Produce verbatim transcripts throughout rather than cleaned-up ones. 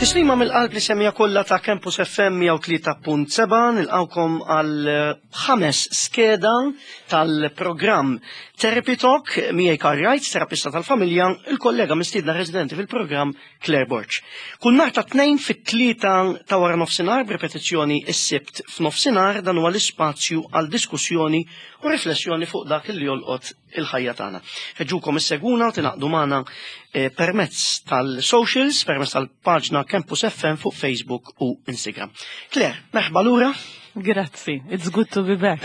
Tislima mill-qalb lis-semmiegħa kollha ta' Campus F M mija u tlieta punt seba', nilqgħukom għal ħames skeda tal-programm Therapy Talk miegħi Karl Wright, terapista tal-familja, il-kollega mistiedna residenti fil-programm Claire Borg. Kull nhar ta' Tnejn fit-tlieta ta' wara nofsinhar, b'repetizzjoni is-Sibt f'nofsinhar, dan huwa l-ispazju għal diskussjoni u riflessjoni fuq dak li jolqot il-ħajja tagħna. Ħeġġukom issegwuna u tingħaqdu magħna eh, permezz tal-socials, permezz tal-paġna Campus F M fuq Facebook u Instagram. Claire, merħba lura. Grazzi, it's good to be back.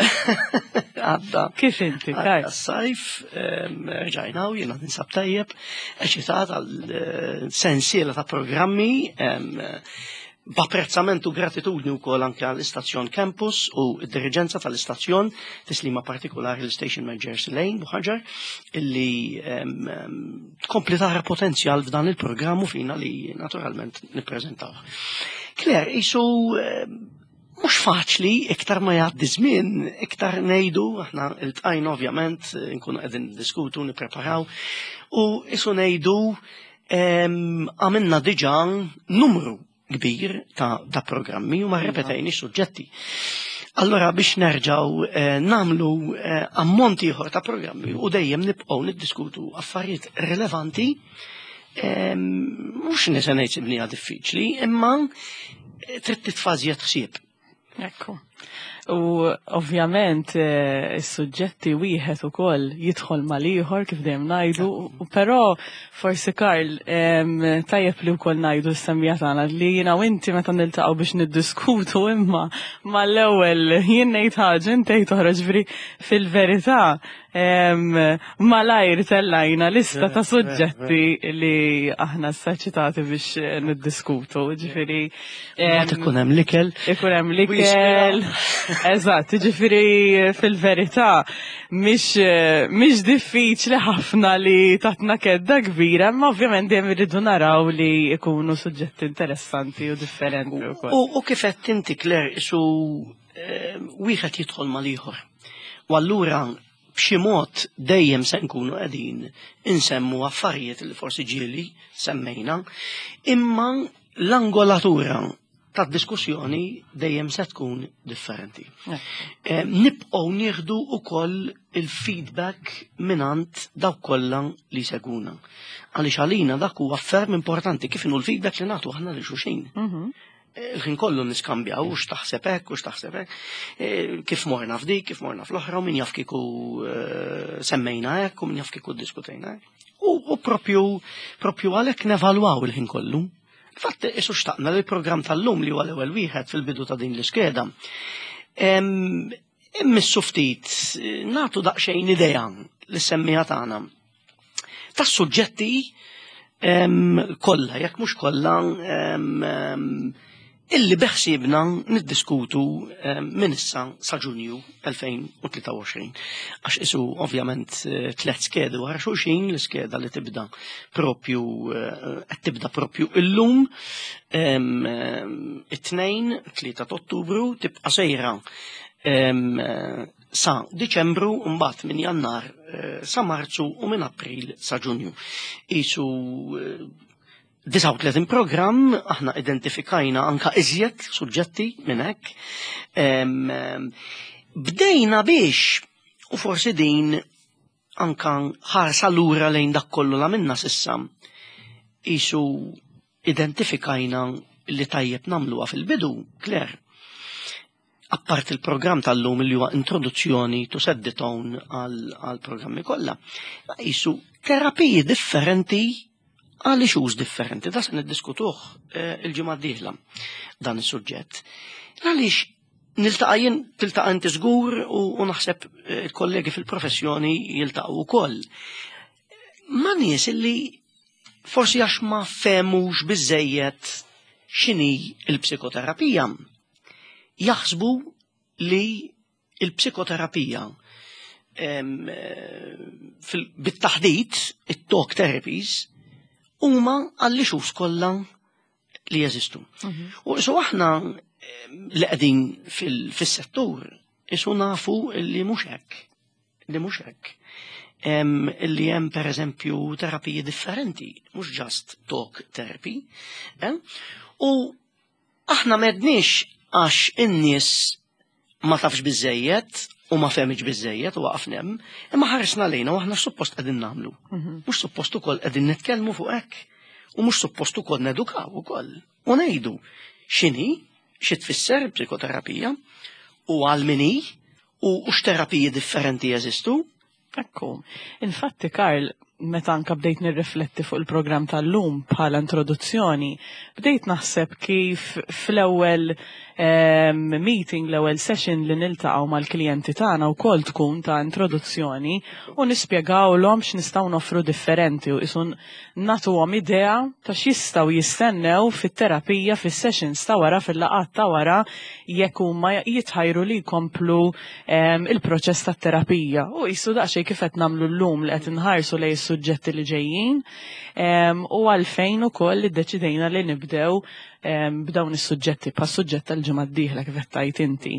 Għadda. Kif inti, Għadda s-sajf, em, rġajna u jiena ninsab tajjeb, eċitat għal eh, sensiela ta' programmi, em, b'apprezzament u gratitudni wkoll anke għall-istazzjon Campus u d-diriġenza tal-istazzjon, tislima partikolari l-station manager Lane Buħaġar, illi em, em, tkompli tara potenzjal f'dan il-programm u fina li naturalment nippreżentaw. Claire, isu em, mhux faċli, iktar ma jgħaddi żmien, iktar ngħidu, aħna iltqajna ovvjament, nkunu qegħdin diskutu, nippreparaw, u isu ngħidu em, għamilna diġà numru kbir ta', ta programmi u ma rrepetejni suġġetti. Allora biex nerġaw eh, nagħmlu eh, ammont ieħor ta' programmi u dejjem nibqgħu niddiskutu affarijiet rilevanti, eh, mhux nisa ngħid sibniha diffiċli, imma eh, trid titfa' żjed ħsieb. Ekku. U ovvjament eh, is-suġġetti wieħed ukoll jidħol mal-ieħor, kif dejjem ngħidu, u però forsi, Karl, em, tajjeb li wkoll ngħidu s-semmiegħa tagħna li jiena u inti meta niltaqgħu biex niddiskutu, imma mal-ewwel jien ngħid ħaġa, inti tgħid oħra, ġifieri fil-verità em, malajr tellajna lista ta' suġġetti li aħna eċċitati biex eh, niddiskutu, ġifieri Mbagħad ikun hemm l-ikel. Ikun hemm l-ikel. Eżatt, ġifieri fil-verità mhix mhix diffiċli ħafna li tatna kedda kbira, imma ovvjament dejjem irridu naraw li ikunu suġġetti interessanti u differenti wkoll. U, u kif qed inti, Claire, isu eh, wieħed jidħol mal-ieħor. U allura b'xi mod dejjem se nkunu qegħdin insemmu affarijiet li forsi ġieli semmejna, imma l-angolatura tad-diskussjoni dejjem se tkun differenti. Eh, Nibqgħu nieħdu ukoll il-feedback mingħand dawk kollha li seguna. Għaliex għalina dak huwa ferm importanti, kif inhu l-feedback li nagħtu aħna lil xulxin. Mhm. Il-ħin kollu niskambjaw, u x'taħseb hekk, u x'taħseb hekk, eh, kif morna f'dik, kif morna fl-oħra, u min jaf kieku eh, semmejna hekk, u min jaf kieku diskutejna hekk. U, u propju, propju għalhekk nevalwaw il-ħin kollu. Fatt, isu xtaqna li l-programm tal-lum, li huwa l-ewwel wieħed fil-bidu ta' din l-iskeda, Em, Immissu ftit, eh, nagħtu daqsxejn idea lis-semmiegħa tagħna tas-suġġetti em, kollha, jekk mhux kollha, em, em, illi beħsiebna niddiskutu em, minn issa sa Ġunju elfejn u tlieta u għoxrin. Għax isu ovvjament eh, tliet skedi wara xulxin, l-iskeda li tibda propju eh, qed tibda propju illum em, em, it-Tnejn, tlieta ta' Ottubru, tibqa' sejra em, eh, sa Diċembru, mbagħad minn Jannar eh, sa Marzu u minn April sa Ġunju. Isu eh, disgħa u tletin programm, aħna identifikajna anka iżjed suġġetti minn hekk. Em, em, Bdejna biex, u forsi din anka ħarsa lura lejn dak kollu la minna s'issa, isu identifikajna li tajjeb nagħmluha fil-bidu, Claire. Appart il-programm tal-lum li huwa introduzzjoni to set the tone għal programmi kollha. Isu terapiji differenti għal issues differenti. Da se niddiskutuh eh, il-ġimgħa d-dieħla dan is-suġġett. Għaliex niltaqa' jien, tiltaqa' inti żgur, u, u naħseb eh, il-kollegi fil-professjoni jiltaqgħu wkoll ma' nies illi forsi għax ma fehmux biżejjed x'inhi il-psikoterapija, jaħsbu li il-psikoterapija em, eh, fil- bit-taħdit, it-talk therapies, huma għall-issues kollha li jeżistu. U so aħna em, li qegħdin fil- fis-settur isu nafu li mhux hekk. Li mhux hekk. Em, Li hemm, pereżempju, terapiji differenti, mhux just talk therapy. Eh? U aħna m'għedniex għax in-nies ma tafx biżejjed u ma fehmitx biżejjed u waqafna hemm, imma ħaresna lejna u aħna suppost qegħdin nagħmlu. Mhux suppost ukoll qegħdin nitkellmu fuq hekk. U mhux suppost ukoll nedukaw ukoll. U ngħidu x'inhi, xi tfisser psikoterapija, u għal min hi, u x'terapiji differenti jeżistu. Ekku. Infatti, Karl, meta anka bdejt nirrifletti fuq il-programm tal-lum bħala introduzzjoni, bdejt naħseb kif fl-ewwel um, meeting, l-ewwel session li niltaqgħu mal-klijenti tagħna wkoll tkun ta' introduzzjoni u nispjegawlhom x'nistgħu noffru differenti u qisu nagħtuhom idea ta' x'jistgħu jistennew fit-terapija fis-sessions ta' wara, fil-laqgħat ta' wara, jekk huma jitħajru li jkomplu um, il-proċess tat-terapija. U qisu daqsxejn kif qed nagħmlu llum, li qed inħarsu lejn is-suġġetti li ġejjin um, u għalfejn ukoll iddeċidejna li nibdew um, b'dawn is-suġġetti, pa' suġġett tal-ġimgħa d-dieħla, kif qed tgħid inti.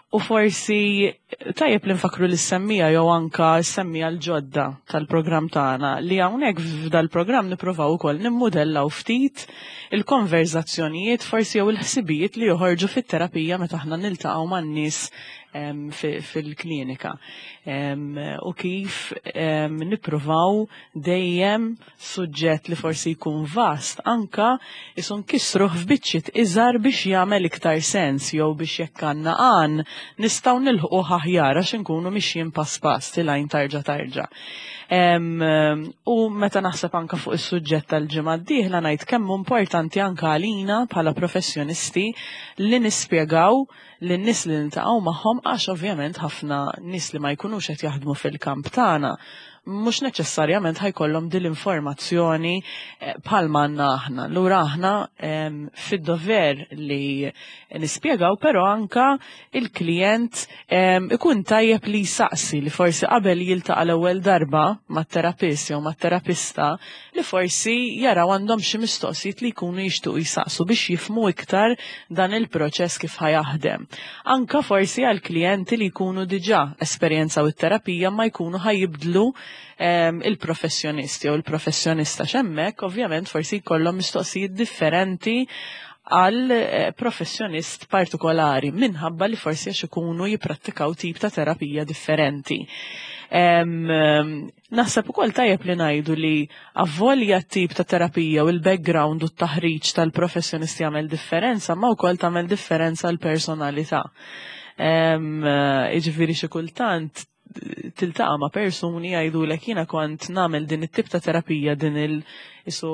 U forsi tajjeb li nfakru li semmija jew anka semmija l-ġodda tal-programm tagħna, li hawnhekk f'dal-programm nippruvaw ukoll nimmudellaw ftit il-konverzazzjonijiet forsi jew il-ħsibijiet li joħorġu fit-terapija meta aħna niltaqgħu man-nies fil-klinika. U kif nippruvaw dejjem suġġett li forsi jkun vast anka qisu nkissruh f'biċċiet iżgħar biex jagħmel iktar sens, jew biex jekk għandna għan nistgħu nilħqu aħjar għax inkunu mixjin pass pass, tilgħin tarġa tarġa. U meta naħseb anka fuq is-suġġett tal-ġimgħa d-dieħla, ngħid kemm importanti anka għalina bħala professjonisti li nispjegaw lin-nies li niltaqgħu magħhom, għax ovvjament ħafna nies li ma jkunux qed jaħdmu fil-kamp tagħna mhux neċessarjament ħa jkollhom din l-informazzjoni eh, bħalma għandna aħna. Lura aħna fid-dover li nispjegaw, però anka il-klient ikun tajjeb li jsaqsi, li forsi qabel jiltaqa' l-ewwel darba mat-terapist jew mat-terapista, li forsi jaraw għandhom xi mistoqsijiet li jkunu jixtuqu jsaqsu biex jifhmu iktar dan il-proċess kif ħa jaħdem. Anka forsi għal klijenti li jkunu diġà esperjenzaw it-terapija ma jkunu ħa jibdlu il-professjonisti jew il-professjonista xemmek, ovvjament forsi jkollhom mistoqsijiet differenti għal eh, professjonist partikolari minħabba li forsi għax ikunu jiprattikaw tip ta' terapija differenti. Naħseb ukoll tajjeb li ngħidu li avolja tip ta' terapija u l-background u t-taħriġ tal-professjonisti jagħmel differenza, ma wkoll tagħmel differenza l-personalità. Jiġifieri xi kultant tiltaqa' ma' persuni jgħidulek, "Jiena kont nagħmel din it-tip ta' terapija, din il isu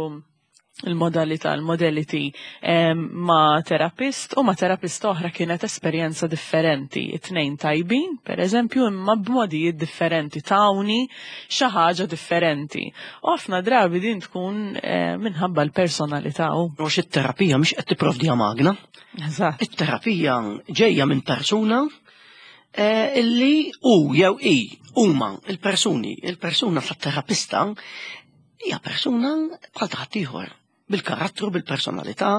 il-modalità, il-modality ma' terapist u ma' terapista oħra kienet esperjenza differenti. It-tnejn tajbin, per eżempju, imma b'modijiet differenti, tawni xi ħaġa differenti." U ħafna drabi din tkun eh, minħabba l-personalità. U it-terapija mhix qed tipprovdiha magna. Eżatt. It-terapija ġejja minn persuna eh, illi u jew i huma il-persuni, il-persuna tat-terapista hija persuna bħal ta' ħaddieħor, bil-karattru, bil-personalità,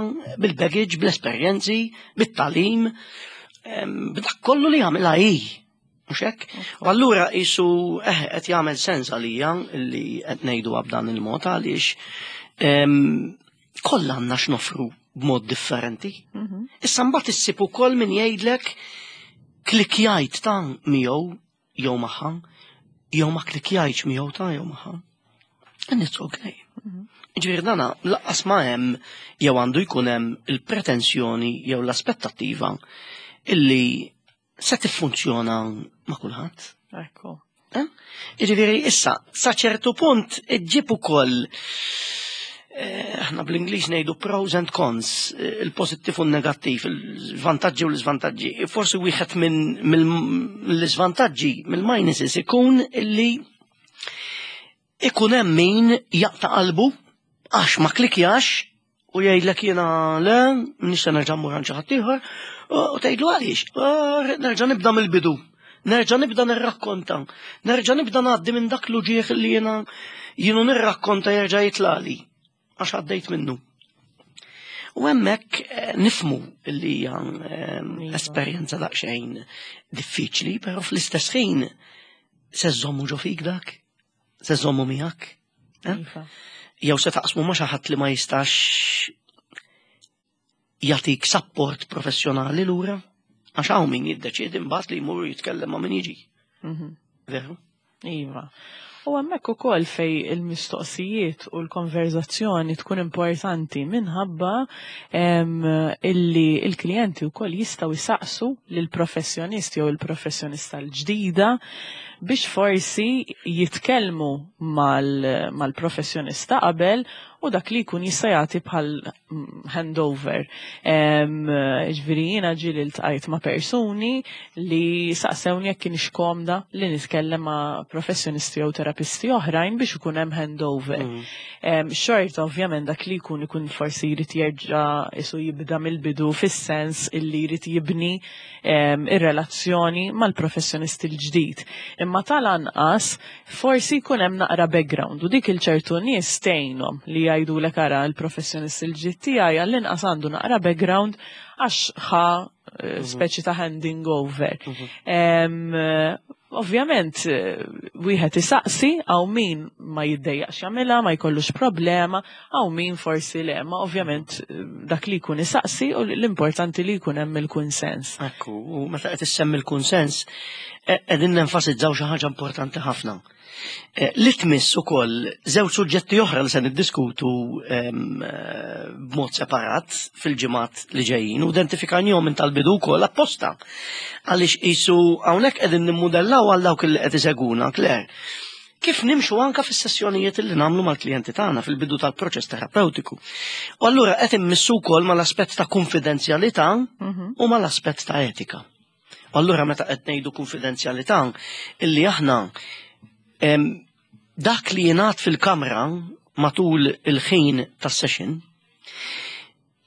bil-baggage, bl-esperjenzi, bit-tagħlim, b'dak kollu li jagħmilha hi. Mhux hekk? U allura qisu eh qed jagħmel sens għalija li qed ngħidu b'dan il-mod, għaliex kollha għandna x'nofru b'mod differenti. Mhm. Issa mbagħad issib ukoll min jgħidlek, "Klikjajt ta' miegħu jew magħha, jew ma klikjajtx miegħu ta' jew magħha." And it's okay. Mhm. Ġifieri dana lanqas ma hemm jew għandu jkun hemm il-pretensjoni jew l-aspettattiva illi se tiffunzjona ma' kulħadd. Ekku. Eh? Ġifieri issa sa ċertu punt iġġib ukoll eh, aħna bl-Ingliż ngħidu pros and cons, eh, il-pożittiv u n-negattiv, il-vantaġġi u l-iżvantaġġi. Forsi wieħed minn mill-iżvantaġġi, mill-minuses, ikun illi ikun hemm min jaqta' qalbu għax ma klikjax u jgħidlek, "Jiena le, nista' nerġa' mmur għand xi ħadd ieħor", u tgħidlu, "Għaliex?" "Nerġa' nibda mill-bidu. Nerġa' nibda nirrakkonta. Nerġa' nibda ngħaddi minn dak l-uġieħ li jiena jienu nirrakkonta, jerġa' jitlali għax għaddejt minnu." U hemmhekk eh, nifhmu li hija eh, Iva. esperjenza daqsxejn diffiċli, però fl-istess ħin se żommu ġo fik dak, se żommu miegħek. Eh? Iva. Jew se taqsmu ma' xi ħadd li ma jistax Jagħtik support professjonali lura, għax hawn min jiddeċiedi mbagħad li jmur jitkellem ma' min jiġi. Mhm. Veru? Iva. U hemmhekk ukoll fej il-mistoqsijiet u l-konverzazzjoni tkun importanti minħabba em, illi il-klijenti wkoll jistgħu jisaqsu lill-professjonist jew il-professjonista l-ġdida biex forsi jitkellmu mal- mal-professjonista qabel u dak li jkun jista' jagħti bħal mm, handover. Em, Ġifieri jiena ġieli ltqajt ma' persuni li saqsewni jekk kienx komda li nitkellem ma' professjonisti jew terapisti oħrajn biex ikun hemm handover. Mm. Em, Xorta ovvjament dak li jkun ikun forsi jrid jerġa' isu jibda mill-bidu fis-sens illi jrid jibni em, ir-relazzjoni mal-professjonist il-ġdid. Imma tal-anqas forsi jkun hemm naqra background u dik il-ċertu nies tgħinhom li jgħidulek ara l-professjonist il-ġdid tiegħi għall-inqas għandu naqra background għax ħa eh, speċi ta' handing over. Em, eh, Ovvjament, eh, wieħed isaqsi hawn min ma jiddejjaqx jagħmilha, ma jkollux problema, hawn min forsi le, ma ovvjament eh, dak li jkun isaqsi u l-importanti li jkun hemm il-kunsens. Ekku, u meta qed issemmi l-kunsens, eh, qegħdin nenfasizzaw xi ħaġa importanti ħafna. Eh, Li tmiss ukoll żewġ suġġetti oħra li se niddiskutu em, eh, b'mod separat fil-ġimgħat li ġejjin u identifikajnihom minn tal-bidu wkoll apposta. Għaliex qisu hawnhekk qegħdin nimmudellaw għal dawk li qed iseguna, Claire. Kif nimxu anka fis-sessjonijiet li nagħmlu mal-klijenti tagħna fil-bidu tal-proċess terapeutiku. U allura qed immissu wkoll mal-aspett ta' konfidenzjalità u mal-aspett ta' etika. U allura meta qed ngħidu konfidenzjalità illi aħna em, dak li jingħad fil-kamra matul il-ħin tas-session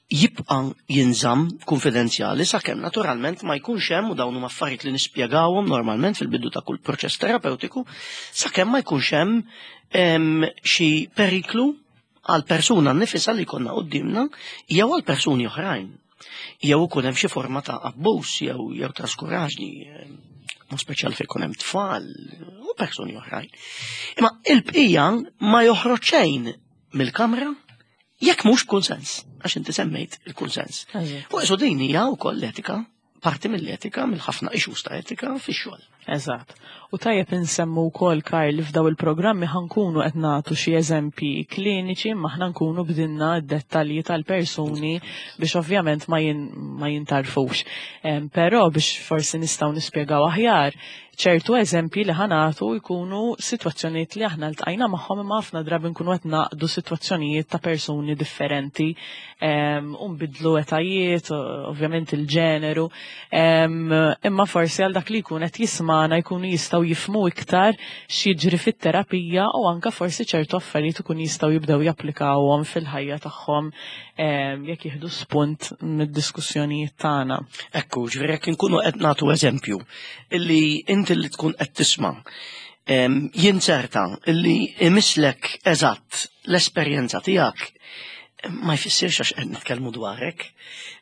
jibqa' jinżamm konfidenzjali sakemm naturalment ma jkunx hemm u dawn huma affarijiet li nispjegawhom normalment fil-bidu ta' kull proċess terapeutiku sakemm ma jkunx hemm em, xi periklu għal persuna nnifisha li jkollna quddiemna jew għal persuni oħrajn. Jew ikun hemm xi forma ta' abbuż jew jew traskuraġni, em, mod speċjali fejn ikun hemm tfal u persuni oħrajn. Imma il-bqija ma joħroġ xejn mill-kamra jekk mhux kunsens, għax inti semmejt il-kunsens. U qisu din hija wkoll l-etika, parti mill-etika, mill-ħafna issues ta' etika fix-xogħol. Eżatt. U tajjeb insemmu wkoll Karl li f'daw il-programmi ħa nkunu qed nagħtu xi eżempji kliniċi imma aħna nkunu bdilna d-dettalji tal-persuni biex ovvjament ma, jin, ma jintarfux. Em, Però biex forsi nistgħu nispjegaw aħjar, ċertu eżempji li ħa nagħtu jkunu sitwazzjonijiet li aħna ltqajna magħhom imma ħafna drabi nkunu qed naqdu sitwazzjonijiet ta' persuni differenti em, u nbidlu etajiet, ovvjament il-ġeneru, em, imma forsi għal dak li jkun qed jismana jkunu jistgħu jifhmu iktar x'jiġri fit-terapija u anka forsi ċertu affarijiet ikun jistgħu jibdew japplikawhom fil-ħajja tagħhom em, jekk jieħdu spunt mid-diskussjonijiet tagħna. Ekku, ġifieri jekk inkunu qed nagħtu eżempju illi inti li tkun qed tisma' em, jinzerta illi imislek eżatt l-esperjenza tiegħek ma jfissirx għax qed nitkellmu dwarek.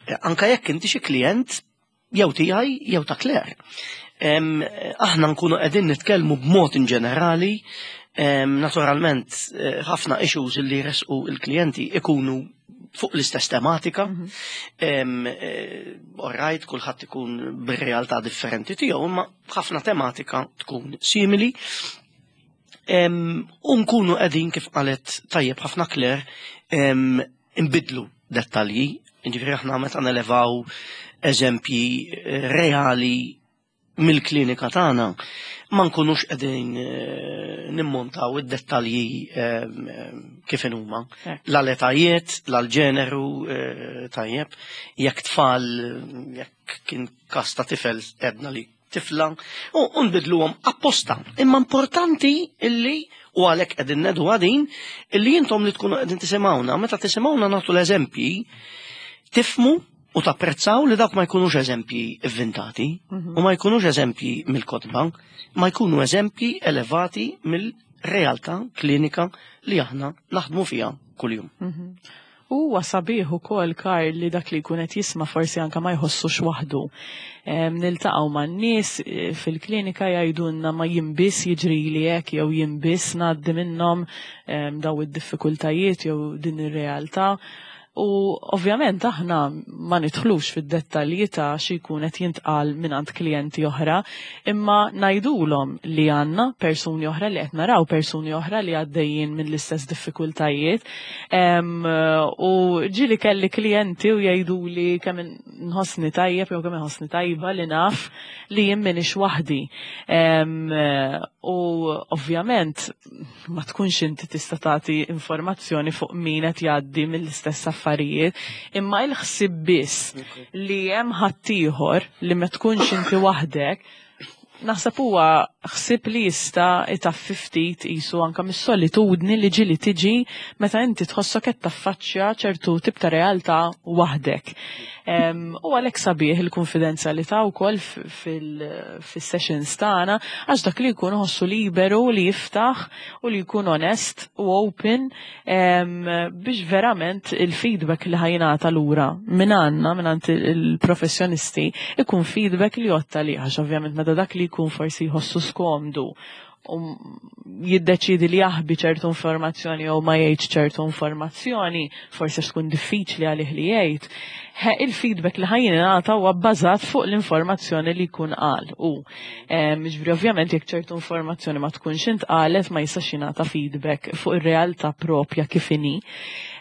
Eh, Anka jekk inti xi klient jew tiegħi jew ta' Claire. Em, Aħna nkunu qegħdin nitkellmu b'mod in ġenerali, em, naturalment eh, ħafna issues li jresqu il-klijenti ikunu fuq l-istess tematika. Em, eh, All right, kulħadd ikun bir-realtà differenti tiegħu, imma ħafna tematika tkun simili. Em, U nkunu qegħdin kif qalet tajjeb ħafna Claire, em, imbidlu dettalji, ġifieri aħna meta nelevaw eżempji eh, reali mill-klinika tagħna ma nkunux qegħdin eh, nimmontaw id-dettalji em, em, kif huma. Hekk. La l-etajiet, la l-ġeneru eh, tajjeb, jekk tfal, jekk kien kas ta' tifel edna li tifla, u u nbidluhom apposta. Imma importanti illi u għalhekk qegħdin ngħidu għadin illi intom li tkunu qegħdin tisimgħuna, meta tisimgħuna nagħtu l-eżempji, tifhmu u tapprezzaw li dawk ma jkunux eżempji inventati u ma jkunux eżempji mill-kotba, ma jkunu eżempji elevati mill-realtà klinika li aħna naħdmu fiha kuljum. Mhm. U huwa sabiħ ukoll Karl li dak li jkun qed jisma' forsi anka ma jħossux waħdu. Em, Niltaqgħu man-nies eh, fil-klinika jgħidulna ma jien biss jiġrili hekk jew jien biss ngħaddi minnhom em, daw id-diffikultajiet jew din ir-realtà. U ovvjament aħna ma nidħlux fid-dettalji ta' xi jkun qed jintqal mingħand klijenti oħra, imma ngħidulhom li għandna persuni oħra li qed naraw persuni oħra li għaddejjin mill-istess diffikultajiet. U ġieli kelli klijenti u jgħiduli kemm nħossni tajjeb jew kemm inħossni tajba li naf li jien m'iniex waħdi. U ovvjament ma tkunx inti tista' tagħti informazzjoni fuq min qed jgħaddi mill-istess affarijiet, imma il-ħsieb biss li hemm ħaddieħor li ma tkunx inti waħdek, naħseb huwa ħsieb li jista' itaffi ftit qisu anke mis-solitudni li ġieli tiġi meta inti tħossok qed taffaċċja ċertu tip ta' realtà waħdek. U għalhekk sabiħ il-konfidenzjalità wkoll fis-sessions tagħna, għax dak li jkun ħossu liberu li jiftaħ u li jkun onest u open biex verament il-feedback li ħa jingħata lura minn għandna, minn għand il-professjonisti, ikun feedback li jotta li għax ovvjament meta dak li jkun forsi jħossu skomdu u jiddeċidi li jaħbi ċertu informazzjoni jew ma jgħidx ċertu informazzjoni, forsi tkun diffiċli għalih li jgħid. Il-feedback li ħa jingħata huwa bbażat fuq l-informazzjoni li jkun qal. U ġifieri ovvjament jekk ċertu informazzjoni ma tkunx intqalet, ma jistax jingħata feedback fuq ir-realtà propja kif inhi.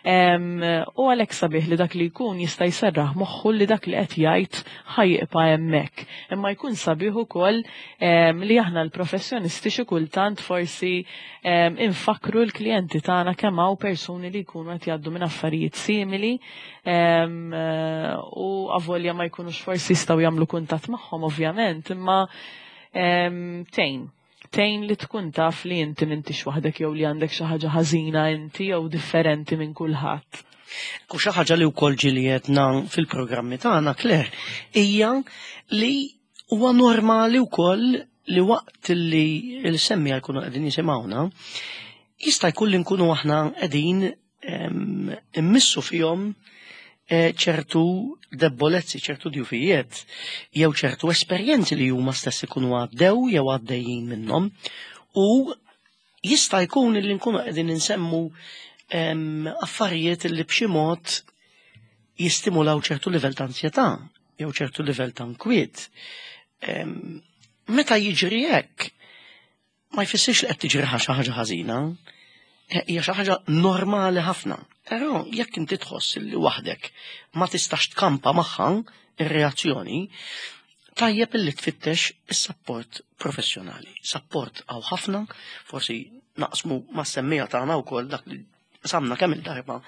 U għalhekk sabiħ li dak li jkun jista' jserraħ moħħu li dak li qed jgħid ħa jibqa' hemmhekk. Imma jkun sabiħ ukoll li aħna l-professjonisti xi kultant forsi infakru l-klijenti tagħna kemm hawn persuni li jkunu qed jgħaddu minn affarijiet simili u avolja ma jkunux forsi jistgħu jagħmlu kuntatt magħhom ovvjament, imma tgħin. Tgħin li tkun taf li inti m'intix waħdek jew li għandek xi ħaġa ħażina inti jew differenti minn kulħadd. U xi ħaġa li wkoll ġieli għedna fil-programmi tagħna, Claire, hija li huwa normali wkoll li waqt li l-semmiegħa jkunu qegħdin jisimgħuna, jista' jkun li nkunu aħna qegħdin immissu fihom ċertu debolezzi, ċertu djufijiet, jew ċertu esperjenzi li huma stess ikunu għaddew jew għaddejjin minnhom, u jista' jkun li nkunu qegħdin insemmu affarijiet li b'xi mod jistimulaw ċertu livell ta' ansjetà jew ċertu livell ta' nkwiet. Meta jiġri hekk, ma jfissirx li qed tiġri xi ħaġa ħażina, hija xi ħaġa normali ħafna. Però jekk inti tħoss li waħdek ma tistax tkampa magħha ir-reazzjoni, tajjeb illi tfittex is-sapport professjonali. Sapport hawn ħafna, forsi naqsmu mas-semmiegħa tagħna wkoll dak li samna kemm il-darba,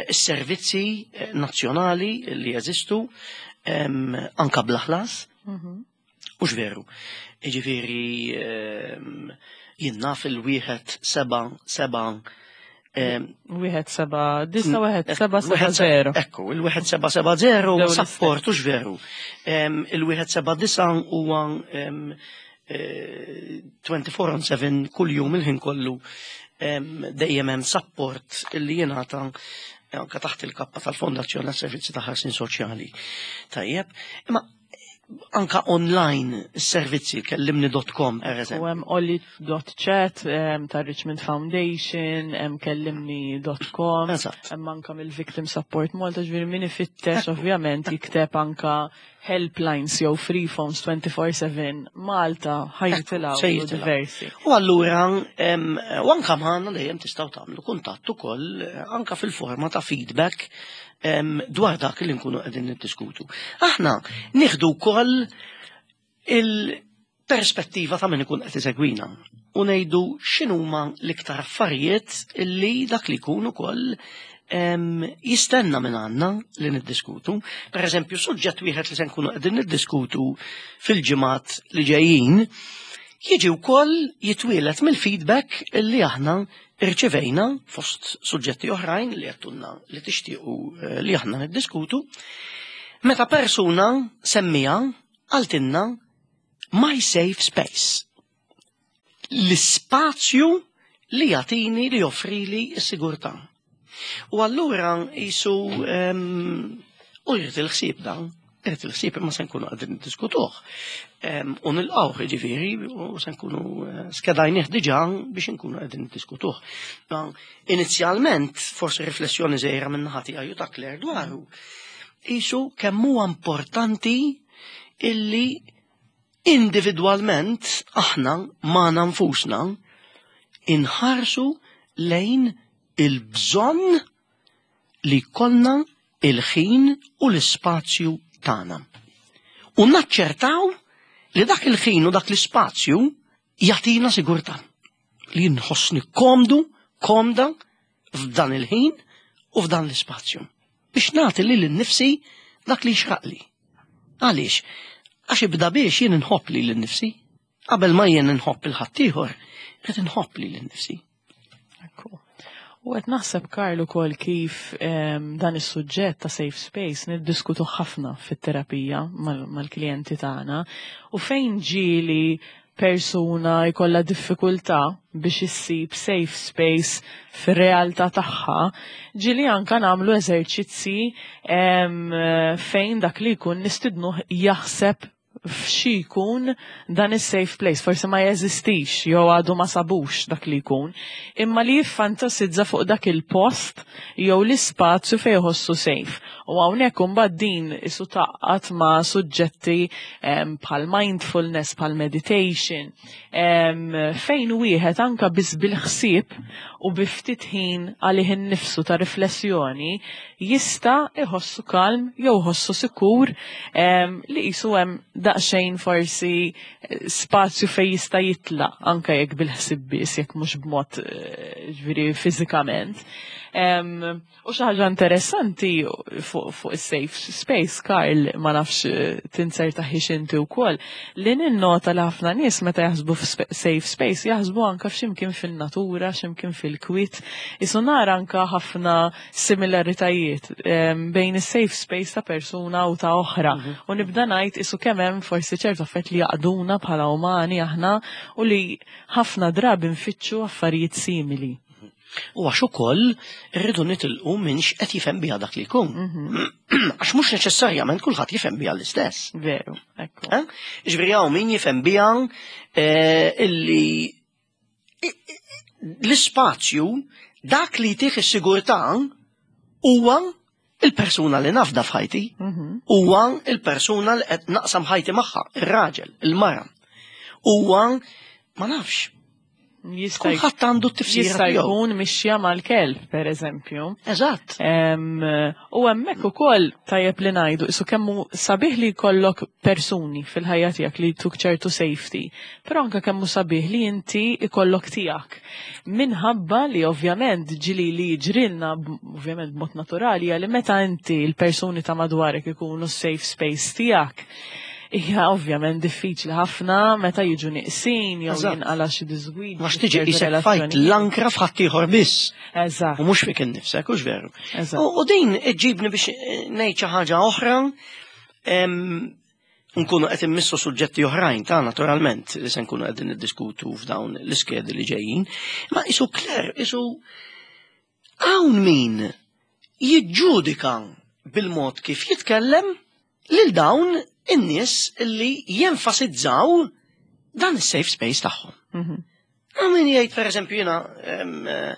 is-servizzi nazzjonali li jeżistu anka bla ħlas. Mhux veru. Jiġifieri jien naf il-wieħed seba' seba' Wieħed seba' disa' wieħed seba' seba' zero. Ekku, il-wieħed seba' seba' zero sapport, hux veru. Il-wieħed seba' disa' huwa twenty-four on seven kull jum il-ħin kollu dejjem hemm sapport li jingħata anke taħt il-kappa tal-Fondazzjoni għas-Servizzi ta' Ħarsien Soċjali. Tajjeb, imma anka online servizzi kellimni dot com per eżempju. U hemm olli dot chat ta' Richmond Foundation, hemm kellimni dot com, hemm anka mill-Victim Support Malta, ġifieri min ifittex ovvjament jikteb anka helplines jew free phones twenty-four seven Malta ħa jitilgħu diversi. U allura u anka magħna dejjem tistgħu tagħmlu kuntatt ukoll anka fil-forma ta' feedback dwar dak li nkunu qegħdin niddiskutu. Aħna nieħdu wkoll il-perspettiva ta' min ikun qed isegwina u ngħidu x'inhuma l-iktar affarijiet li dak li jkun ukoll jistenna minn għandna li niddiskutu. Per eżempju, suġġett wieħed li se nkunu qegħdin niddiskutu fil-ġimgħat li ġejjin jiġi wkoll jitwielet mill-feedback li aħna irċevejna fost suġġetti oħrajn li għedtulna li tixtiequ li aħna niddiskutu. Meta persuna semmija għaltinna my safe space. L-ispazju li jagħtini li joffrili s-sigurtà. U allura jisu u jrid il-ħsieb dan. Irrid il-ħsieb imma se nkunu qegħdin niddiskutuh. U nilqgħuh jiġifieri u se nkunu eh, skedajnih diġà biex nkunu qegħdin niddiskutuh. Inizjalment, forsi riflessjoni żgħira minn naħa tiegħi u ta' Claire dwaru. Isu kemm huwa importanti illi individwalment aħna magħna nfusna inħarsu lejn il-bżonn li jkollna il-ħin u l-ispazju tagħna. U naċċertaw li dak il-ħin u dak l-ispazju jagħtina sigurtà. Li nħossni komdu, komda f'dan il-ħin u f'dan l-ispazju. Biex nagħti lili nnifsi dak li jixraqli. Għaliex? Għax ibda biex jien inħobb lili nnifsi. Qabel ma jien inħobb lil ħaddieħor, qed inħobb lili nnifsi. U qed naħseb, Karl, ukoll kif dan is-suġġett ta' safe space niddiskutu ħafna fit-terapija mal-klijenti tagħna u fejn ġieli persuna jkollha diffikultà biex issib safe space fir-realtà tagħha, ġieli anka nagħmlu eżerċizzi fejn dak li jkun nistidnuh jaħseb f'xi jkun dan is-safe place, forsi ma jeżistix jew għadu ma sabux dak li jkun, imma li jiffantasizza fuq dak il-post jew l-ispazju fejn jħossu safe. U hawnhekk imbagħad din isu taqgħat ma' suġġetti bħal mindfulness, bħal meditation, fejn wieħed anka biss bil-ħsieb u bi ftit ħin għalih innifsu ta' riflessjoni jista' iħossu kalm jew iħossu sikur li qisu hemm daqsxejn forsi eh, spazju fejn jista' jitlaq anke jekk bil-ħsieb biss, jekk mhux b'mod eh, ġifieri fiżikament. U xi ħaġa interessanti fuq fu is-safe space, Karl, ma nafx eh, tinzertaħiex inti wkoll, li ninnota li ħafna nies meta jaħsbu f'safe space jaħsbu anka f'ximkien fin-natura, x'imkien fil-kwiet. Isu nara anka ħafna similaritajiet bejn is-safe space ta' persuna u ta' oħra. Mhm. U nibda ngħid isu kemm hemm forsi ċertu affarijiet li jgħaqqduna bħala umani aħna u li ħafna drabi nfittxu affarijiet simili. U għax ukoll irridu nitilqu minn x'qed jifhem biha dak li jkun. Mhm. Għax mhux neċessarjament kulħadd jifhem biha l-istess. Veru, ekku. Eh? Ġifieri hawn min jifhem biha eh, illi l-ispazju dak li jtih is-sigurtà huwa il-persuna li nafda f'ħajti. Mhm. Huwa il-persuna li qed naqsam ħajti magħha, ir-raġel, il-mara. Huwa ma nafx, Jista' kulħadd għandu t-tifsira jista' tiegħu. jkun mixja mal-kelb, per eżempju. Eżatt. Em, U hemmhekk ukoll tajjeb li ngħidu isu kemmu sabiħ li jkollok persuni fil-ħajja tiegħek li jtuk ċertu safety, però anke kemmu sabiħ li inti ikollok tiegħek. Minħabba li ovvjament ġieli li jiġrilna b- ovvjament b'mod naturali hija li meta inti l-persuni ta' madwarek ikunu safe space tiegħek, hija ovvjament diffiċli ħafna meta jiġu neqsin jew Eżatt. jinqala xi diżgwid. Għax tiġi qisek tfajt l-ankra f'ħaddieħor biss. Eżatt. U mhux fik innifsek, hux veru. Eżatt. U u din iġibni biex eh, ngħid xi ħaġa oħra, em, nkunu qed immissu suġġetti oħrajn ta' naturalment li se nkunu qegħdin niddiskutu f'dawn l-iskedi li ġejjin. Ma isu Claire, isu hawn min jiġġudika bil-mod kif jitkellem lil dawn in-nies li jenfasizzaw dan is-safe space tagħhom. Mhm. Hawn min jgħid per eżempju jiena em, eh,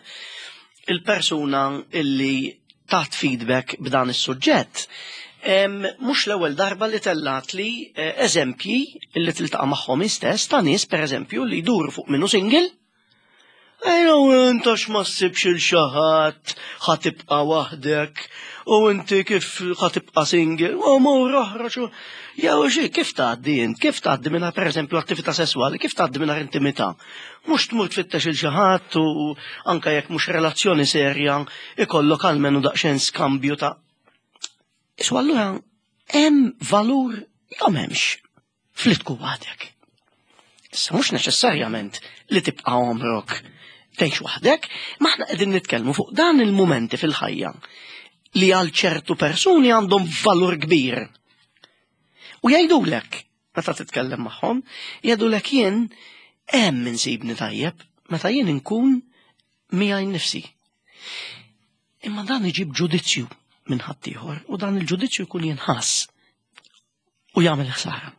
il-persuna illi tat feedback b'dan is-suġġett. em, Mhux l-ewwel darba li tellat li eh, eżempji illi tiltaqa' magħhom istess ta' nies per eżempju li jduru fuq minnu single. Ejja, intax ma ssibx lil xi ħadd, ħa tibqa' waħdek, u inti kif ħa tibqa' single, u mur oħroġ, u- jew xi, kif tgħaddi int, kif tgħaddi minn per eżempju attività sesswali, kif tgħaddi minn intimità. Mhux tmur tfittex lil xi ħadd u anke jekk mhux relazzjoni serja, ikollok almenu daqsxejn skambju ta' Isu allura hemm valur jew m'hemmx fli tkun waħdek. Issa mhux neċessarjament li tibqa' għomrok tgħix waħdek, ma aħna qegħdin nitkellmu fuq dan il-mumenti fil-ħajja li għal ċertu persuni għandhom valur kbir. U jgħidulek, meta titkellem magħhom, jgħidulek jien hemm insibni tajjeb meta jien inkun miegħi nnifsi. Imma dan iġib ġudizzju minn ħaddieħor u dan il-ġudizzju jkun jinħass. U jagħmel ħsara.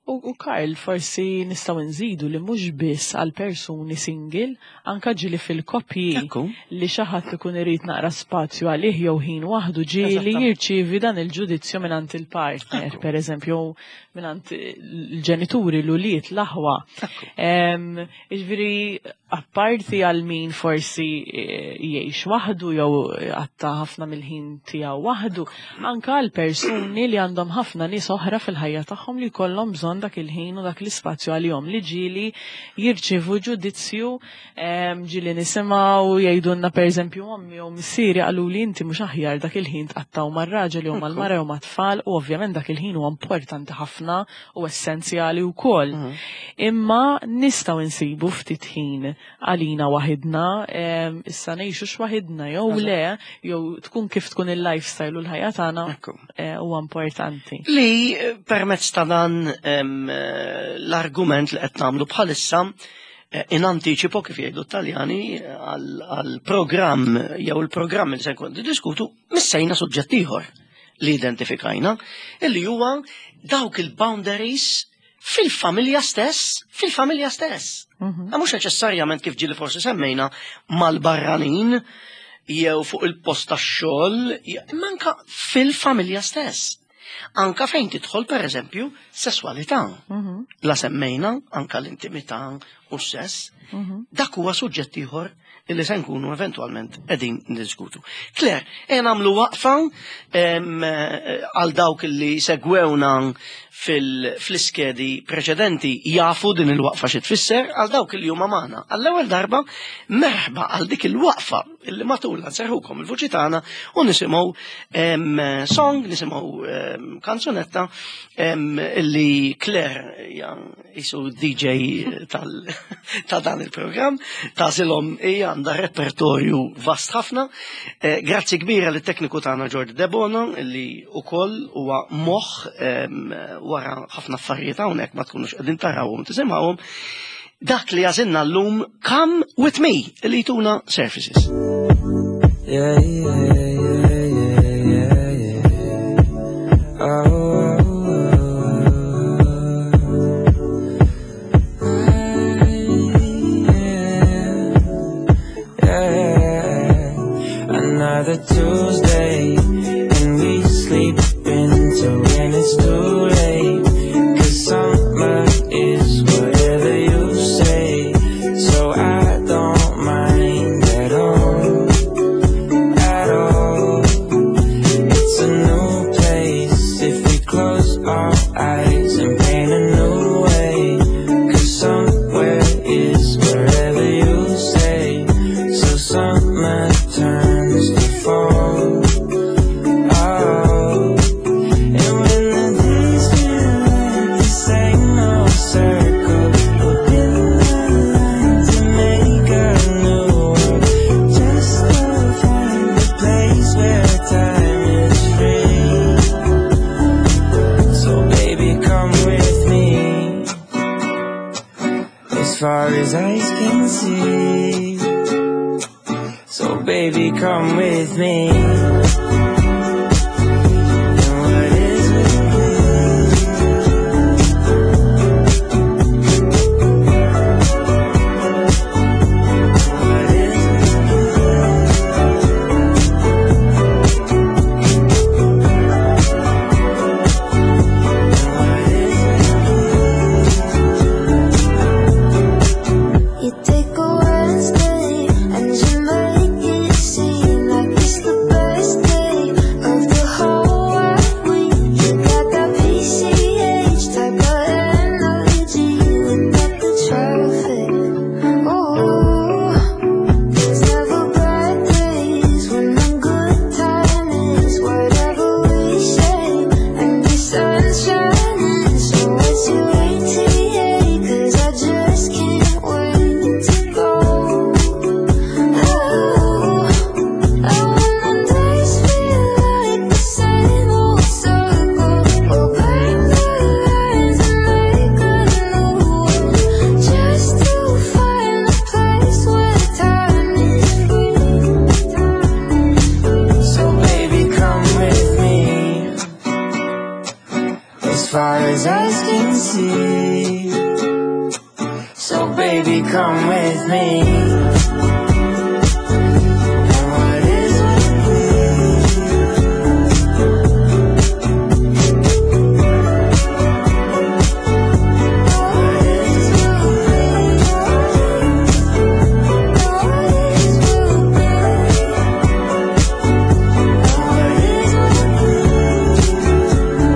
U, u Karl, forsi nistgħu nżidu li mhux biss għal persuni single, anka ġieli fil-koppji Ekku. li xi ħadd ikun irid naqra spazju għalih jew ħin waħdu ġieli Eżattament. jirċievi dan il-ġudizzju mingħand il-partner, Ekku. per eżempju, mingħand il-ġenituri, l-ulied, l-aħwa. Ekku. Em, Jiġifieri, apparti għal min forsi eh, jgħix waħdu jew għatta ħafna mill-ħin tiegħu waħdu, anka għal persuni li għandhom ħafna nies oħra fil-ħajja tagħhom li jkollhom bżonn dak il-ħin u dak l-ispazju għalihom li ġieli jirċievu ġudizzju, em, ġieli nisimgħu jgħidulna pereżempju ommi jew missieri qalu li inti mhux aħjar dak il-ħin tqattaw mar-raġel jew mal-mara jew mat-tfal u ovvjament dak il-ħin huwa importanti ħafna u essenzjali wkoll. Imma nistgħu nsibu ftit ħin għalina waħidna, em, issa ngħixu x'waħidna jew le, jew tkun kif tkun il-lifestyle u l-ħajja tagħna Ekku. eh, huwa importanti. Li eh, permezz ta' dan em, eh, l-argument li qed nagħmlu bħalissa eh, in anticipo kif jgħidu t-Taljani għal programm jew il-programm li se nkun diskutu missejna suġġett ieħor li identifikajna illi huwa dawk il-boundaries fil-familja stess, fil-familja stess. Mhm. Ma mhux neċessarjament kif ġieli forsi semmejna mal-barranin jew fuq il-post tax-xogħol, imma anka fil-familja stess. Anka fejn tidħol per eżempju sesswalità. Mhm. La semmejna anka l-intimità u s-sess, Mhm. dak huwa suġġett ieħor illi se nkunu eventwalment qegħdin niddiskutu. Claire, e nagħmlu waqfa em, eh, għal dawk li segwewna fil- fl-iskedi preċedenti jafu din il-waqfa xi tfisser għal dawk li huma magħna. Għall-ewwel darba merħba għal dik il-waqfa illi matulha nserħukom il-vuċi tagħna u nisimgħu em, song, nisimgħu em, kanzunetta em, illi Claire hija jisu D J tal ta' dan il-programm, tagħżilhom hija għandha repertorju vast ħafna. Eh, Grazzi kbira lit tekniku tagħna Jordi Debono illi ukoll huwa moħħ em, wara ħafna affarijiet hawnhekk ma tkunux qegħdin tarawhom tisimgħuhom. Dak li għażilna llum, Come With Me, li jtuna Surfaces. Yeah, yeah, yeah, yeah, yeah, yeah. Oh, oh, oh. Yeah, yeah. Another Tuesday, and we sleep until when it's too late. 'Cause summer is whatever you say, so I don't mind at all, at all. It's a new place if we close our eyes and paint a new way. 'Cause somewhere is wherever you say. So summer turns to fall. Oh. And when the days feel like the same old circle, we'll build a line to make a new world. Just to find a place where time is free. So baby, come with me. As far as eyes can see. So baby, come with me. And what is with me? What is with What is You take a Wednesday and you make it seem like it's the best. far as eyes can see. So baby, come with me. And what is will be. What is will be. What is will be. What is will be.